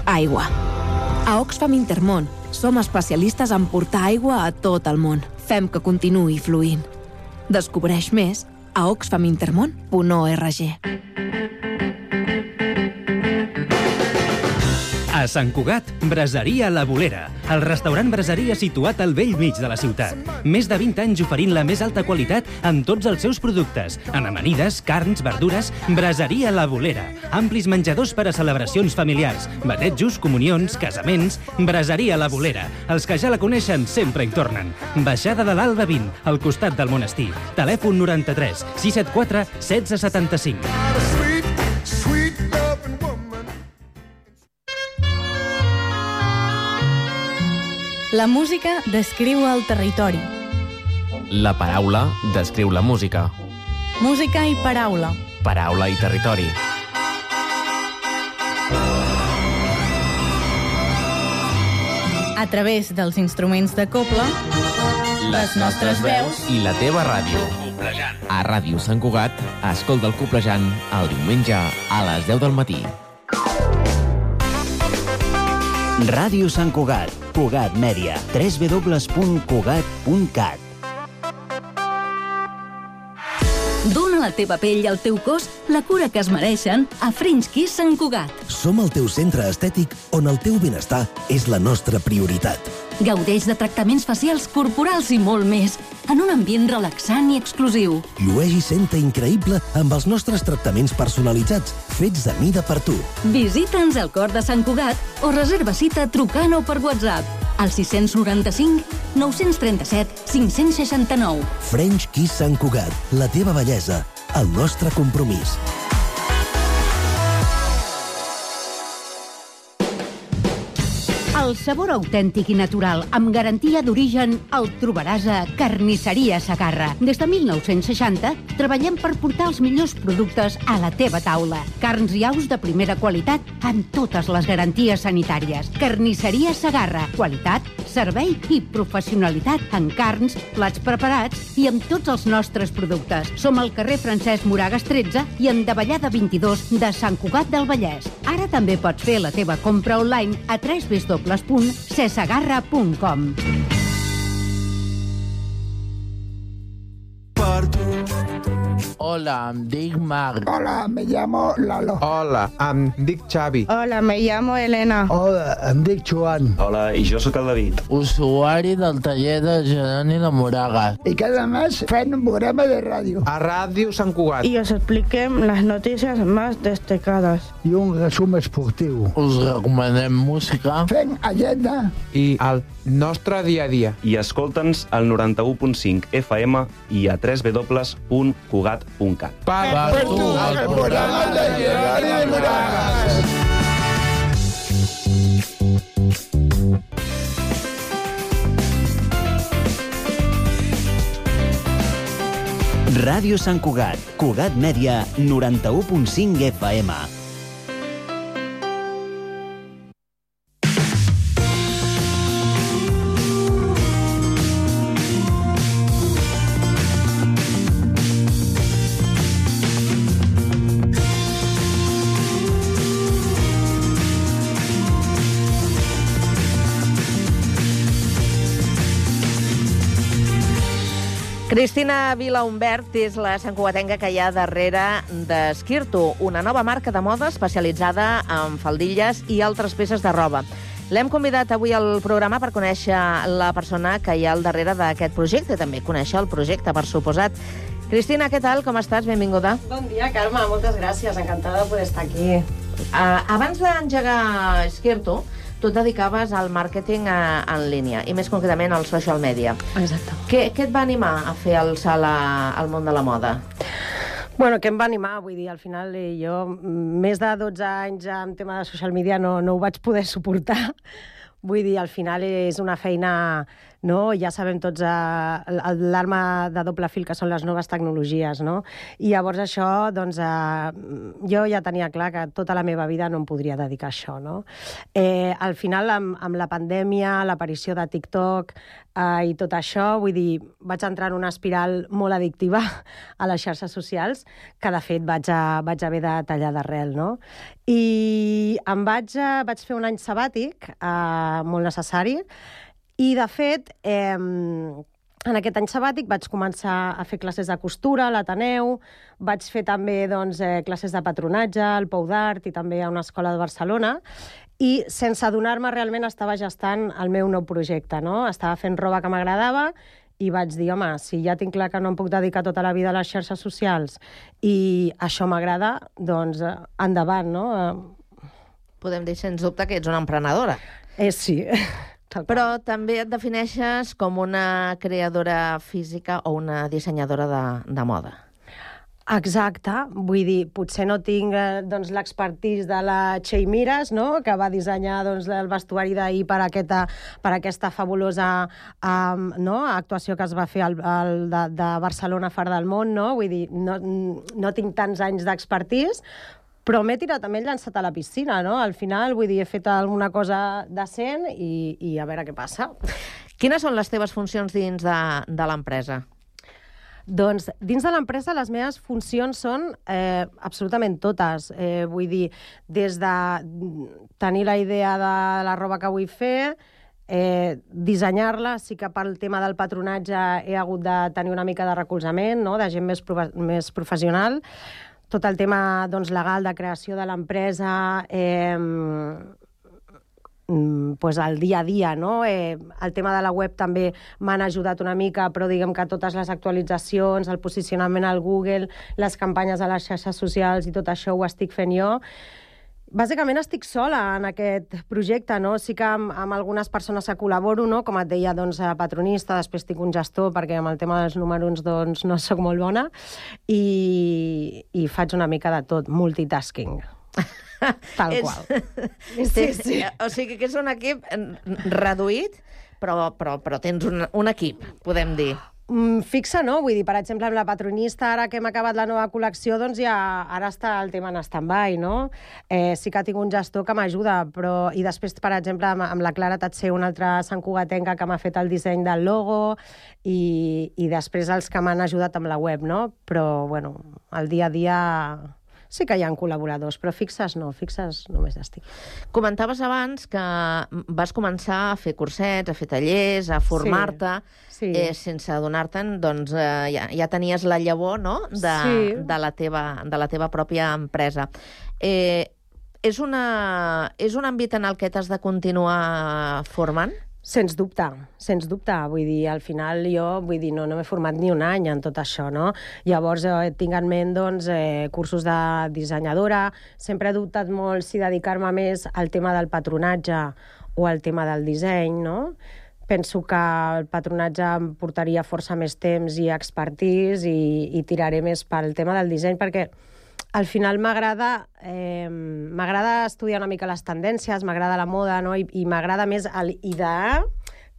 Aigua. A Oxfam Intermón som especialistes en portar aigua a tot el món. Fem que continuï fluint. Descobreix més a oxfamintermon.org. A Sant Cugat, Braseria La Bolera, el restaurant braseria situat al vell mig de la ciutat. Més de 20 anys oferint la més alta qualitat en tots els seus productes, en amanides, carns, verdures. Braseria La Bolera, amplis menjadors per a celebracions familiars, batejos, comunions, casaments. Braseria La Bolera, els que ja la coneixen sempre hi tornen. Baixada de l'Alba 20, al costat del monestir. Telèfon 93 674 1675. La música descriu el territori. La paraula descriu la música. Música i paraula. Paraula i territori. A través dels instruments de cobla, les nostres veus i la teva ràdio. A Ràdio Sant Cugat, escolta el Coplejant el diumenge a les 10 del matí. Ràdio Sant Cugat, Cugat Mèdia, www.cugat.cat. Dóna a la teva pell i al teu cos la cura que es mereixen a French Kiss Sant Cugat. Som el teu centre estètic on el teu benestar és la nostra prioritat. Gaudeix de tractaments facials corporals i molt més, en un ambient relaxant i exclusiu. Llueix i senta increïble amb els nostres tractaments personalitzats, fets a mida per tu. Visita'ns al Cor de Sant Cugat o reserva cita trucant o per WhatsApp al 695 937 569. French Kiss Sant Cugat, la teva bellesa, el nostre compromís. El sabor autèntic i natural, amb garantia d'origen, el trobaràs a Carnisseria Segarra. Des de 1960 treballem per portar els millors productes a la teva taula. Carns i aus de primera qualitat amb totes les garanties sanitàries. Carnisseria Segarra. Qualitat, servei i professionalitat en carns, plats preparats i amb tots els nostres productes. Som al carrer Francesc Moragas 13 i en Davallada 22 de Sant Cugat del Vallès. Ara també pots fer la teva compra online a www.cesegarra.com. Hola, em dic Marc. Hola, me llamo Lalo. Hola, em dic Xavi. Hola, me llamo Elena. Hola, em dic Joan. Hola, i jo sóc el David. Usuari del taller de Jeroni de Moragas. Y cada mes fem un programa de ràdio. A Ràdio Sant Cugat. Y os expliquem las noticias más destacadas. I un resum esportiu. Us recomanem música. Fem agenda. I el nostre dia a dia. I escolta'ns al 91.5 FM i a www.cugat.cat. Per tu, el programa de Jeroni de Moragas. Ràdio Sant Cugat, Cugat Mèdia, 91.5 FM. Cristina Vilahumbert és la santcugatenca que hi ha darrere d'Skirto, una nova marca de moda especialitzada en faldilles i altres peces de roba. L'hem convidat avui al programa per conèixer la persona que hi ha al darrere d'aquest projecte, també conèixer el projecte, per suposat. Cristina, què tal? Com estàs? Benvinguda. Bon dia, Carme. Moltes gràcies. Encantada de poder estar aquí. Abans d'engegar Skirto, tu et dedicaves al màrqueting en línia, i més concretament al social media. Exacte. Què et va animar a fer el salt al món de la moda? Bueno, què em va animar? Vull dir, al final jo més de 12 anys en tema de social media no ho vaig poder suportar. Vull dir, al final és una feina, no? Ja sabem tots l'arma de doble fil que són les noves tecnologies, no? I llavors això, doncs, jo ja tenia clar que tota la meva vida no em podria dedicar a això, no? Al final, amb la pandèmia, l'aparició de TikTok i tot això, vull dir, vaig entrar en una espiral molt addictiva a les xarxes socials, que de fet vaig haver de tallar d'arrel, no? I vaig fer un any sabàtic molt necessari, i de fet en aquest any sabàtic vaig començar a fer classes de costura a l'Ateneu, vaig fer també classes de patronatge al Pou d'Art i també a una escola de Barcelona, i sense adonar-me realment estava gestant el meu nou projecte, no? Estava fent roba que m'agradava i vaig dir, home, si ja tinc clar que no em puc dedicar tota la vida a les xarxes socials i això m'agrada, doncs endavant, no? Podem dir, sens dubte, que ets una emprenedora. Sí. Però també et defineixes com una creadora física o una dissenyadora de moda. Exacte, vull dir, potser no tinc l'expertise de la Txell Mires, no? Que va dissenyar el vestuari d'ahir per aquesta fabulosa actuació que es va fer de Barcelona Far del Món, no? Vull dir, no tinc tants anys d'expertise, però m'he tirat, també he llançat a la piscina, no? Al final, vull dir, he fet alguna cosa decent i a veure què passa. Quines són les teves funcions dins de l'empresa? Doncs dins de l'empresa les meves funcions són absolutament totes. Vull dir, des de tenir la idea de la roba que vull fer, dissenyar-la, sí que pel tema del patronatge he hagut de tenir una mica de recolzament, no? De gent més professional. tot el tema legal de creació de l'empresa, pues el dia a dia, no? El tema de la web també m'han ajudat una mica, però diguem que totes les actualitzacions, el posicionament al Google, les campanyes a les xarxes socials i tot això ho estic fent jo. Bàsicament estic sola en aquest projecte, no? Sí que amb algunes persones que col·laboro, no? Com et deia, patronista, després tinc un gestor, perquè amb el tema dels números no sóc molt bona, i faig una mica de tot, multitasking. Tal qual. Sí. O sigui que és un equip reduït, però tens un equip, podem dir. Fixa, no? Vull dir, per exemple, amb la patronista, ara que hem acabat la nova col·lecció, doncs ja ara està el tema en stand-by, no? Sí que tinc un gestor que m'ajuda, però... I després, per exemple, amb la Clara Tatser, una altra santcugatenca que m'ha fet el disseny del logo, i després els que m'han ajudat amb la web, no? Però, bueno, el dia a dia... Sí que hi ha col·laboradors, però fixes no, fixes només estic. Comentaves abans que vas començar a fer cursets, a fer tallers, a formar-te, sense adonar-te'n, doncs ja tenies la llavor, no?, de la teva pròpia empresa. És un àmbit en el que t'has de continuar formant? Sens dubte. Vull dir, al final jo no m'he format ni un any en tot això, no? Llavors tinc en ment cursos de dissenyadora. Sempre he dubtat molt si dedicar-me més al tema del patronatge o al tema del disseny, no? Penso que el patronatge em portaria força més temps i expertise i tiraré més pel tema del disseny, perquè al final m'agrada estudiar una mica les tendències, m'agrada la moda, no? I m'agrada més l'idear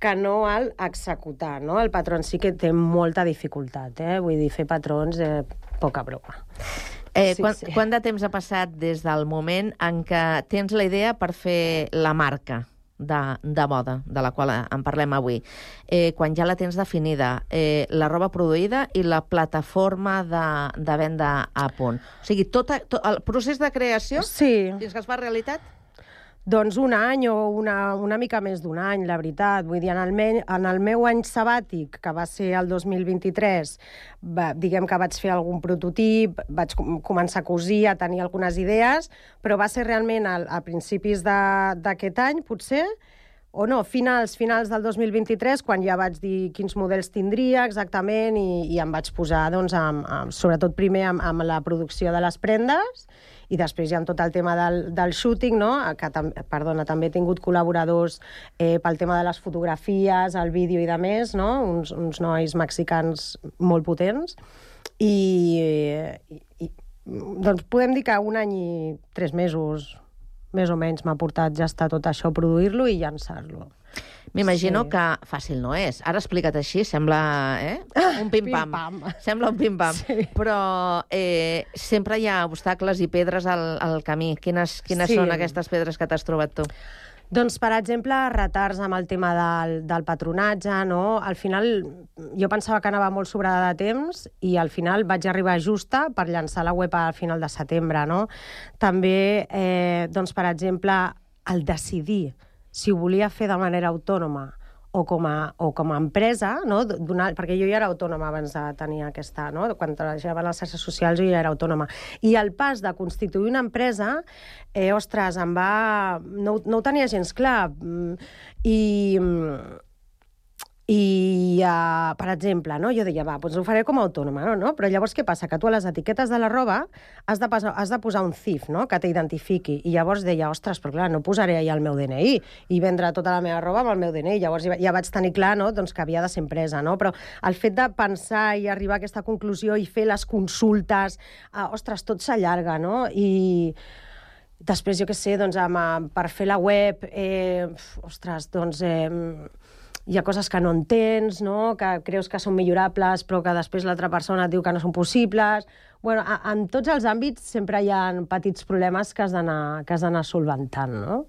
que no l'executar, no? El patró sí que té molta dificultat, vull dir, fer patrons, poca broma. Quant de temps ha passat des del moment en què tens la idea per fer la marca de moda, de la qual en parlem avui, quan ja la tens definida, la roba produïda i la plataforma de venda a punt? O sigui, tot el procés de creació fins que es fa realitat? Doncs un any o una mica més d'un any, la veritat. Vull dir, en el meu any sabàtic, que va ser el 2023, diguem que vaig fer algun prototip, vaig començar a cosir, a tenir algunes idees, però va ser realment a principis d'aquest any, potser, o no, finals del 2023, quan ja vaig dir quins models tindria exactament i em vaig posar, doncs, sobretot primer amb la producció de les prendes i després ja amb tot el tema del shooting, no? Que també he tingut col·laboradors pel tema de les fotografies, el vídeo i de més, no? Uns nois mexicans molt potents. Doncs podem dir que un any i 3 mesos més o menys m'ha portat ja estar tot això, produir-lo i llançar-lo. M'imagino que fàcil no és. Ara explica't així, sembla un pim-pam. Sembla un pim-pam. Però sempre hi ha obstacles i pedres al camí. Quines són aquestes pedres que t'has trobat tu? Doncs, per exemple, retards amb el tema del patronatge, no? Al final, jo pensava que anava molt sobrada de temps i al final vaig arribar justa per llançar la web al final de setembre, no? També, doncs, per exemple, el decidir si ho volia fer de manera autònoma o com a empresa, no? Perquè jo ja era autònoma abans de tenir aquesta, no? Quan treballava a les xarxes socials jo ja era autònoma. I el pas de constituir una empresa, ostres, no ho tenia gens clar. I, per exemple, no? Jo deia, doncs ho faré com a autònoma, no? Però llavors què passa? Que tu a les etiquetes de la roba has de posar un CIF, no? Que t'identifiqui. I llavors deia, ostres, però clar, no posaré allà el meu DNI i vendre tota la meva roba amb el meu DNI. Llavors ja vaig tenir clar, no? Doncs que havia de ser empresa, no? Però el fet de pensar i arribar a aquesta conclusió i fer les consultes, ostres, tot s'allarga, no? I després, jo què sé, doncs, per fer la web, ostres, doncs... hi ha coses que no entens, no? Que creus que són millorables, però que després l'altra persona et diu que no són possibles. Bueno, en tots els àmbits sempre hi ha petits problemes que has d'anar solventant, no?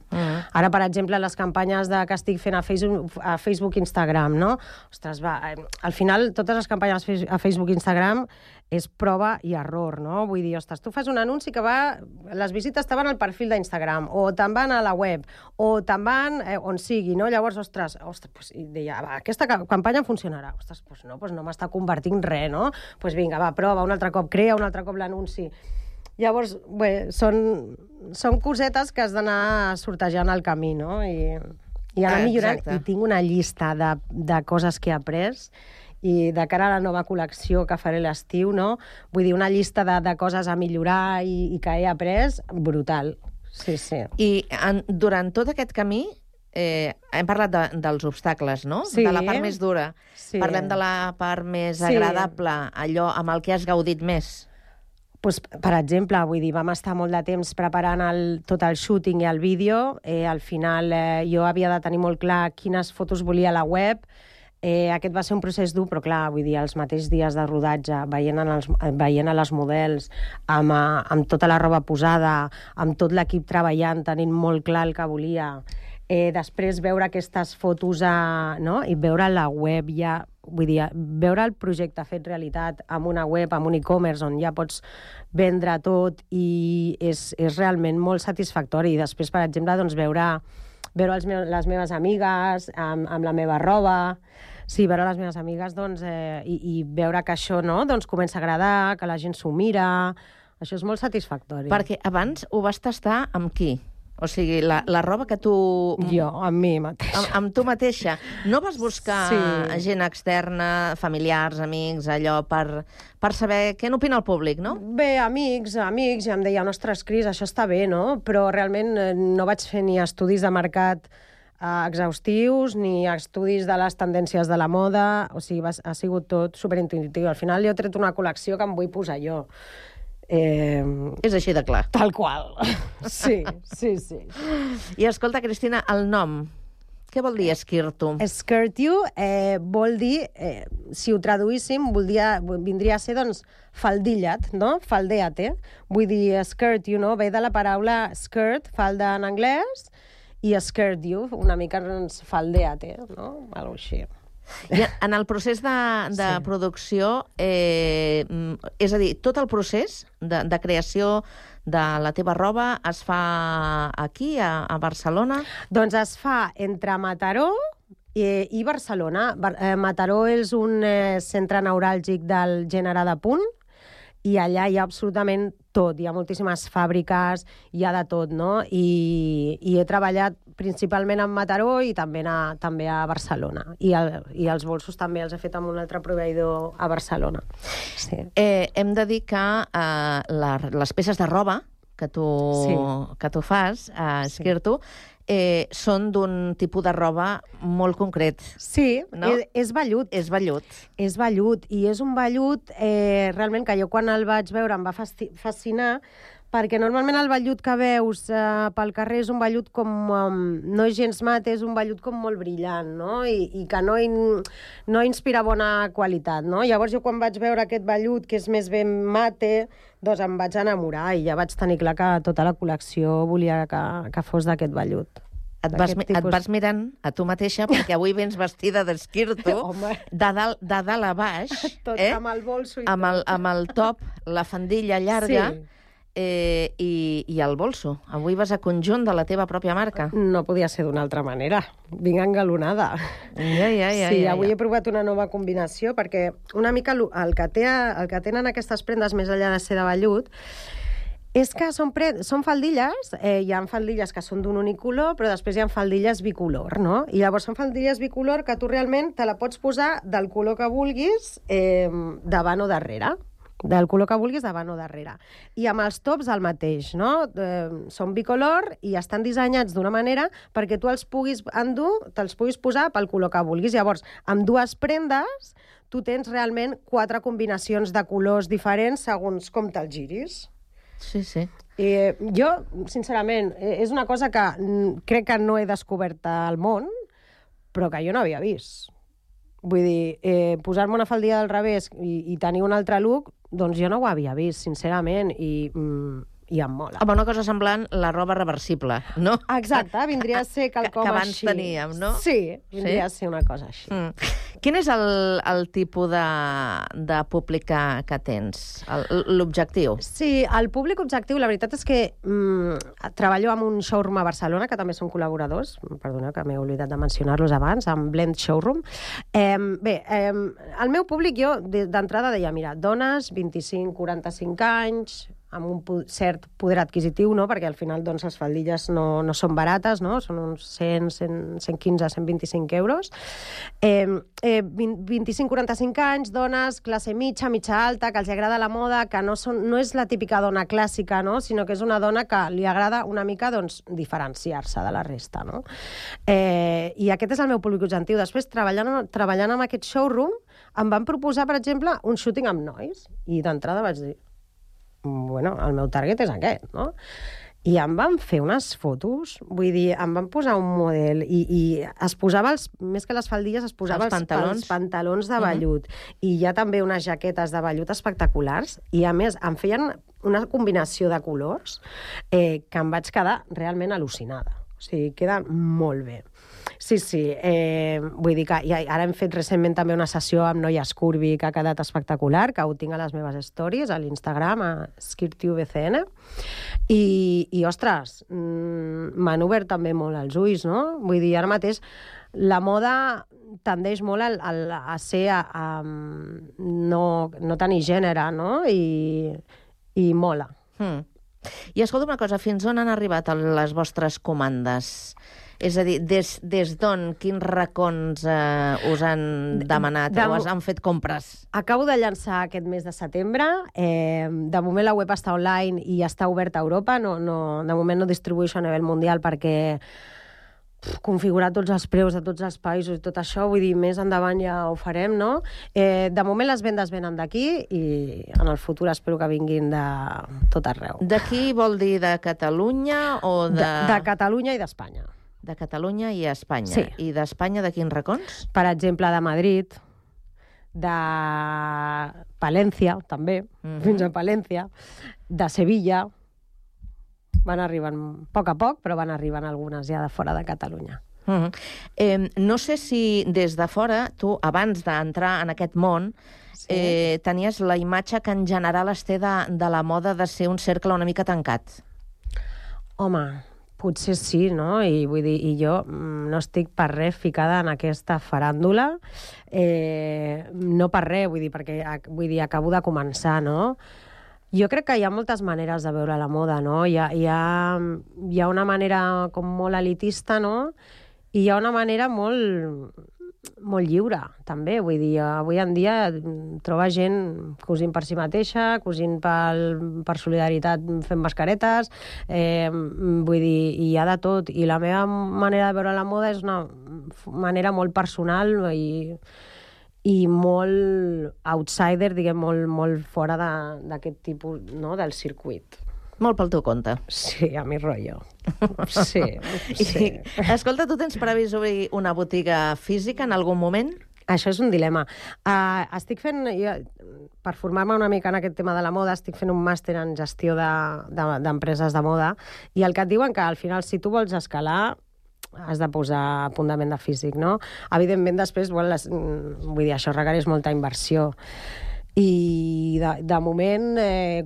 Ara, per exemple, les campanyes que estic fent a Facebook i Instagram, no? Ostres, al final, totes les campanyes a Facebook i Instagram és prova i error, no? Vull dir, ostres, tu fas un anunci que les visites te van al perfil d'Instagram, o te'n van a la web, o te'n van on sigui, no? Llavors, ostres, deia, aquesta campanya funcionarà. Ostres, no m'està convertint res, no? Doncs vinga, prova, un altre cop crea, un altre cop l'anunci. Llavors, bé, són cosetes que has d'anar sortejant al camí, no? I anar millorant. Exacte. I tinc una llista de coses que he après i de cara a la nova col·lecció que faré l'estiu, no? Vull dir, una llista de coses a millorar i que he après, brutal. Sí, sí. I durant tot aquest camí hem parlat dels obstacles, no? Sí. De la part més dura. Sí. Parlem de la part més Sí. agradable, allò amb el que has gaudit més. Pues, per exemple, vull dir, vam estar molt de temps preparant tot el shooting i el vídeo. Al final jo havia de tenir molt clar quines fotos volia a la web. Aquest va ser un procés dur, però clar, vull dir, els mateixos dies de rodatge, veient a les models, amb tota la roba posada, amb tot l'equip treballant, tenint molt clar el que volia. Després veure aquestes fotos no? I veure la web ja, vull dir, veure el projecte fet realitat amb una web, amb un e-commerce on ja pots vendre tot i és realment molt satisfactori. I després, per exemple, doncs, veure les meves amigues amb la meva roba, sí, veure les meves amigues doncs, i veure que això no, doncs, comença a agradar, que la gent s'ho mira, això és molt satisfactori. Perquè abans ho vas tastar amb qui? O sigui, la roba que tu... Jo, amb mi mateixa. Amb tu mateixa. No vas buscar gent externa, familiars, amics, allò, per saber què n'opina el públic, no? Bé, amics, i em deien, ostres, Cris, això està bé, no? Però realment no vaig fer ni estudis de mercat exhaustius, ni estudis de les tendències de la moda, o sigui, ha sigut tot superintuitiu. Al final jo he tret una col·lecció que em vull posar jo. És així de clar. Tal qual. Sí. I escolta, Cristina, el nom, què vol dir Skirt-You? Skirt-You vol dir, si ho traduíssim, vindria a ser, doncs, faldillat, no? Faldeate. Vull dir, Skirt-You, no? Ve de la paraula skirt, falda en anglès, i Skirt-You, una mica, doncs, faldeate, no? Algo així. I en el procés de producció, és a dir, tot el procés de creació de la teva roba es fa aquí, a Barcelona? Doncs es fa entre Mataró i Barcelona. Mataró és un centre neuràlgic del gènere de punt, i allà hi ha absolutament tot, hi ha moltíssimes fàbriques, hi ha de tot, no? I he treballat principalment en Mataró i també a Barcelona. I els bolsos també els he fet amb un altre proveïdor a Barcelona. Sí. Hem de dir que les peces de roba que tu fas, Skirt-You, són d'un tipus de roba molt concret. Sí, no? És vellut. És vellut. És vellut, i és un vellut realment que jo quan el vaig veure em va fascinar, perquè normalment el vellut que veus pel carrer és un vellut com... no és gens mate, és un vellut com molt brillant, no? I que no inspira bona qualitat, no? Llavors jo quan vaig veure aquest vellut, que és més ben mate, doncs em vaig enamorar i ja vaig tenir clar que tota la col·lecció volia que fos d'aquest vellut. Et vas mirant a tu mateixa, perquè avui vens vestida d'Skirt-You, de dalt a baix, amb el bolso i tot. Amb el top, la faldilla llarga, i el bolso. Avui vas a conjunt de la teva pròpia marca. No podia ser d'una altra manera. Vinc engalonada. Sí, avui he provat una nova combinació, perquè una mica el que tenen aquestes prendes, més enllà de ser de vellut, és que són faldilles, hi ha faldilles que són d'un únic color, però després hi ha faldilles bicolor, no? I llavors són faldilles bicolor que tu realment te la pots posar del color que vulguis davant o darrere. Del color que vulguis davant o darrere. I amb els tops el mateix, no? Són bicolor i estan dissenyats d'una manera perquè tu els puguis endur, te'ls puguis posar pel color que vulguis. Llavors, amb dues prendes, tu tens realment 4 combinacions de colors diferents segons com te'ls giris. Sí, sí. Jo, sincerament, és una cosa que crec que no he descobert al món, però que jo no havia vist. Vull dir, posar-me una faldilla del revés i tenir un altre look, doncs jo no ho havia vist, sincerament, i em mola. Home, una cosa semblant, la roba reversible, no? Exacte, vindria a ser quelcom que abans així. teníem, no? Sí, vindria a ser una cosa així. Quin és el tipus de públic que tens? L'objectiu? Sí, el públic objectiu, la veritat és que treballo amb un showroom a Barcelona, que també són col·laboradors, perdoneu que m'he oblidat de mencionar-los abans, amb Blend Showroom. El meu públic, jo d'entrada deia, mira, dones, 25-45 anys, amb un cert poder adquisitiu, no? Perquè al final doncs, les faldilles no són barates, no? Són uns 100, 115, 125 euros. 25-45 anys, dones, classe mitja alta, que els agrada la moda, que no és la típica dona clàssica, no? Sinó que és una dona que li agrada una mica doncs, diferenciar-se de la resta. No? I aquest és el meu públic objectiu. Després, treballant amb aquest showroom, em van proposar, per exemple, un shooting amb nois. I d'entrada vaig dir, bueno, el meu target és aquest, no? I em van fer unes fotos, vull dir, em van posar un model i es posava, més que les faldilles, es posava els pantalons de vellut. I hi ha també unes jaquetes de vellut espectaculars i, a més, em feien una combinació de colors que em vaig quedar realment al·lucinada. O sigui, queda molt bé. Sí, vull dir que ara hem fet recentment també una sessió amb noies curvy que ha quedat espectacular, que ho tinc a les meves stories, a l'Instagram, a SkirtTubeCN, i ostres, m'han obert també molt els ulls, no? Vull dir, ara mateix la moda tendeix molt a ser no tenir gènere, no? I mola. I escolta una cosa, fins on han arribat les vostres comandes? És a dir, des d'on, quins racons us han demanat o us han fet compres? Acabo de llançar aquest mes de setembre. De moment la web està online i està oberta a Europa. De moment no distribueixo a nivell mundial perquè configurar tots els preus de tots els països i tot això, vull dir, més endavant ja ho farem, no? De moment les vendes venen d'aquí i en el futur espero que vinguin de tot arreu. D'aquí vol dir de Catalunya o de... De Catalunya i d'Espanya. De Catalunya i Espanya. Sí. I d'Espanya de quins racons? Per exemple, de Madrid, de Palència, també, fins a Palència, de Sevilla. Van arribant a poc, però van arribant algunes ja de fora de Catalunya. No sé si des de fora, tu, abans d'entrar en aquest món, tenies la imatge que en general es té de la moda de ser un cercle una mica tancat. Home, potser sí, no? I vull dir, jo no estic per res ficada en aquesta faràndula, no per res, vull dir, acabo de començar, no? Jo crec que hi ha moltes maneres de veure la moda, no? Hi ha una manera com molt elitista, no? I hi ha una manera molt lliure, també. Vull dir, avui en dia troba gent cosint per si mateixa, cosint per solidaritat fent mascaretes, vull dir, hi ha de tot. I la meva manera de veure la moda és una manera molt personal i molt outsider, diguem, molt fora d'aquest tipus, no?, del circuit. Molt pel teu compte. Sí, a mi rotllo. Sí. Escolta, tu tens previst obrir una botiga física en algun moment? Això és un dilema. Estic fent, per formar-me una mica en aquest tema de la moda, estic fent un màster en gestió d'empreses de moda, i el que et diuen que al final, si tu vols escalar, has de posar a punt de venda físic, no? Evidentment, després, vull dir, això requereix molta inversió. I de moment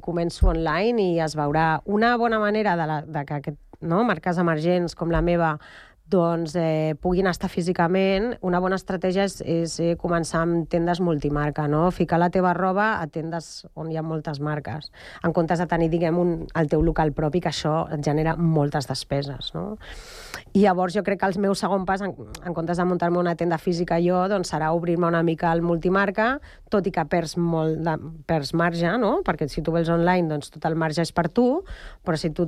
començo online i es veurà. Una bona manera de que marques emergents com la meva doncs puguin estar físicament, una bona estratègia és començar amb tendes multimarca, no? Ficar la teva roba a tendes on hi ha moltes marques, en comptes de tenir, diguem, el teu local propi, que això et genera moltes despeses, no? I llavors jo crec que el meu segon pas, en comptes de muntar-me una tenda física jo, doncs serà obrir-me una mica al multimarca, tot i que perds marge, no? Perquè si tu vens online, doncs tot el marge és per tu, però si tu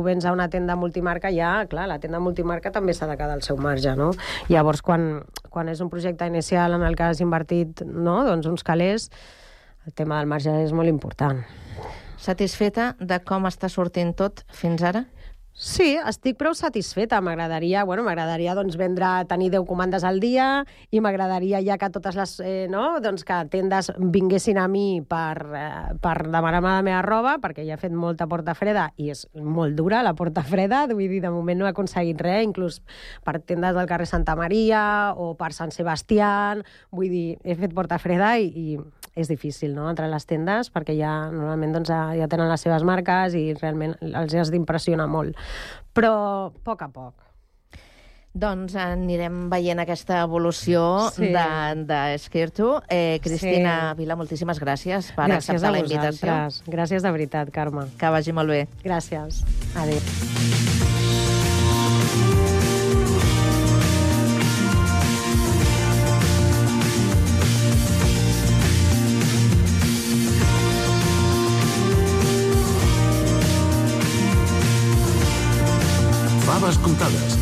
vens a una tenda multimarca, ja, clar, la tenda multimarca també s'ha de quedar el seu marge, no? Llavors, quan és un projecte inicial en el que has invertit, no?, doncs uns calés, el tema del marge és molt important. Satisfeta de com està sortint tot fins ara? Sí, estic prou satisfeta. M'agradaria doncs, tenir 10 comandes al dia i m'agradaria ja que totes les doncs que tendes vinguessin a mi per demanar-me la meva roba, perquè ja he fet molta porta freda i és molt dura la porta freda, vull dir, de moment no he aconseguit res, inclús per tendes del carrer Santa Maria o per Sant Sebastián, vull dir, he fet porta freda i és difícil, no?, entrar a les tendes, perquè normalment doncs, ja tenen les seves marques i realment els has d'impressionar molt. Però a poc. Doncs anirem veient aquesta evolució d'Esquerto. Cristina Vila, moltíssimes gràcies per acceptar la invitació. Gràcies de veritat, Carme. Que vagi molt bé. Gràcies. Adéu. Faves comptades,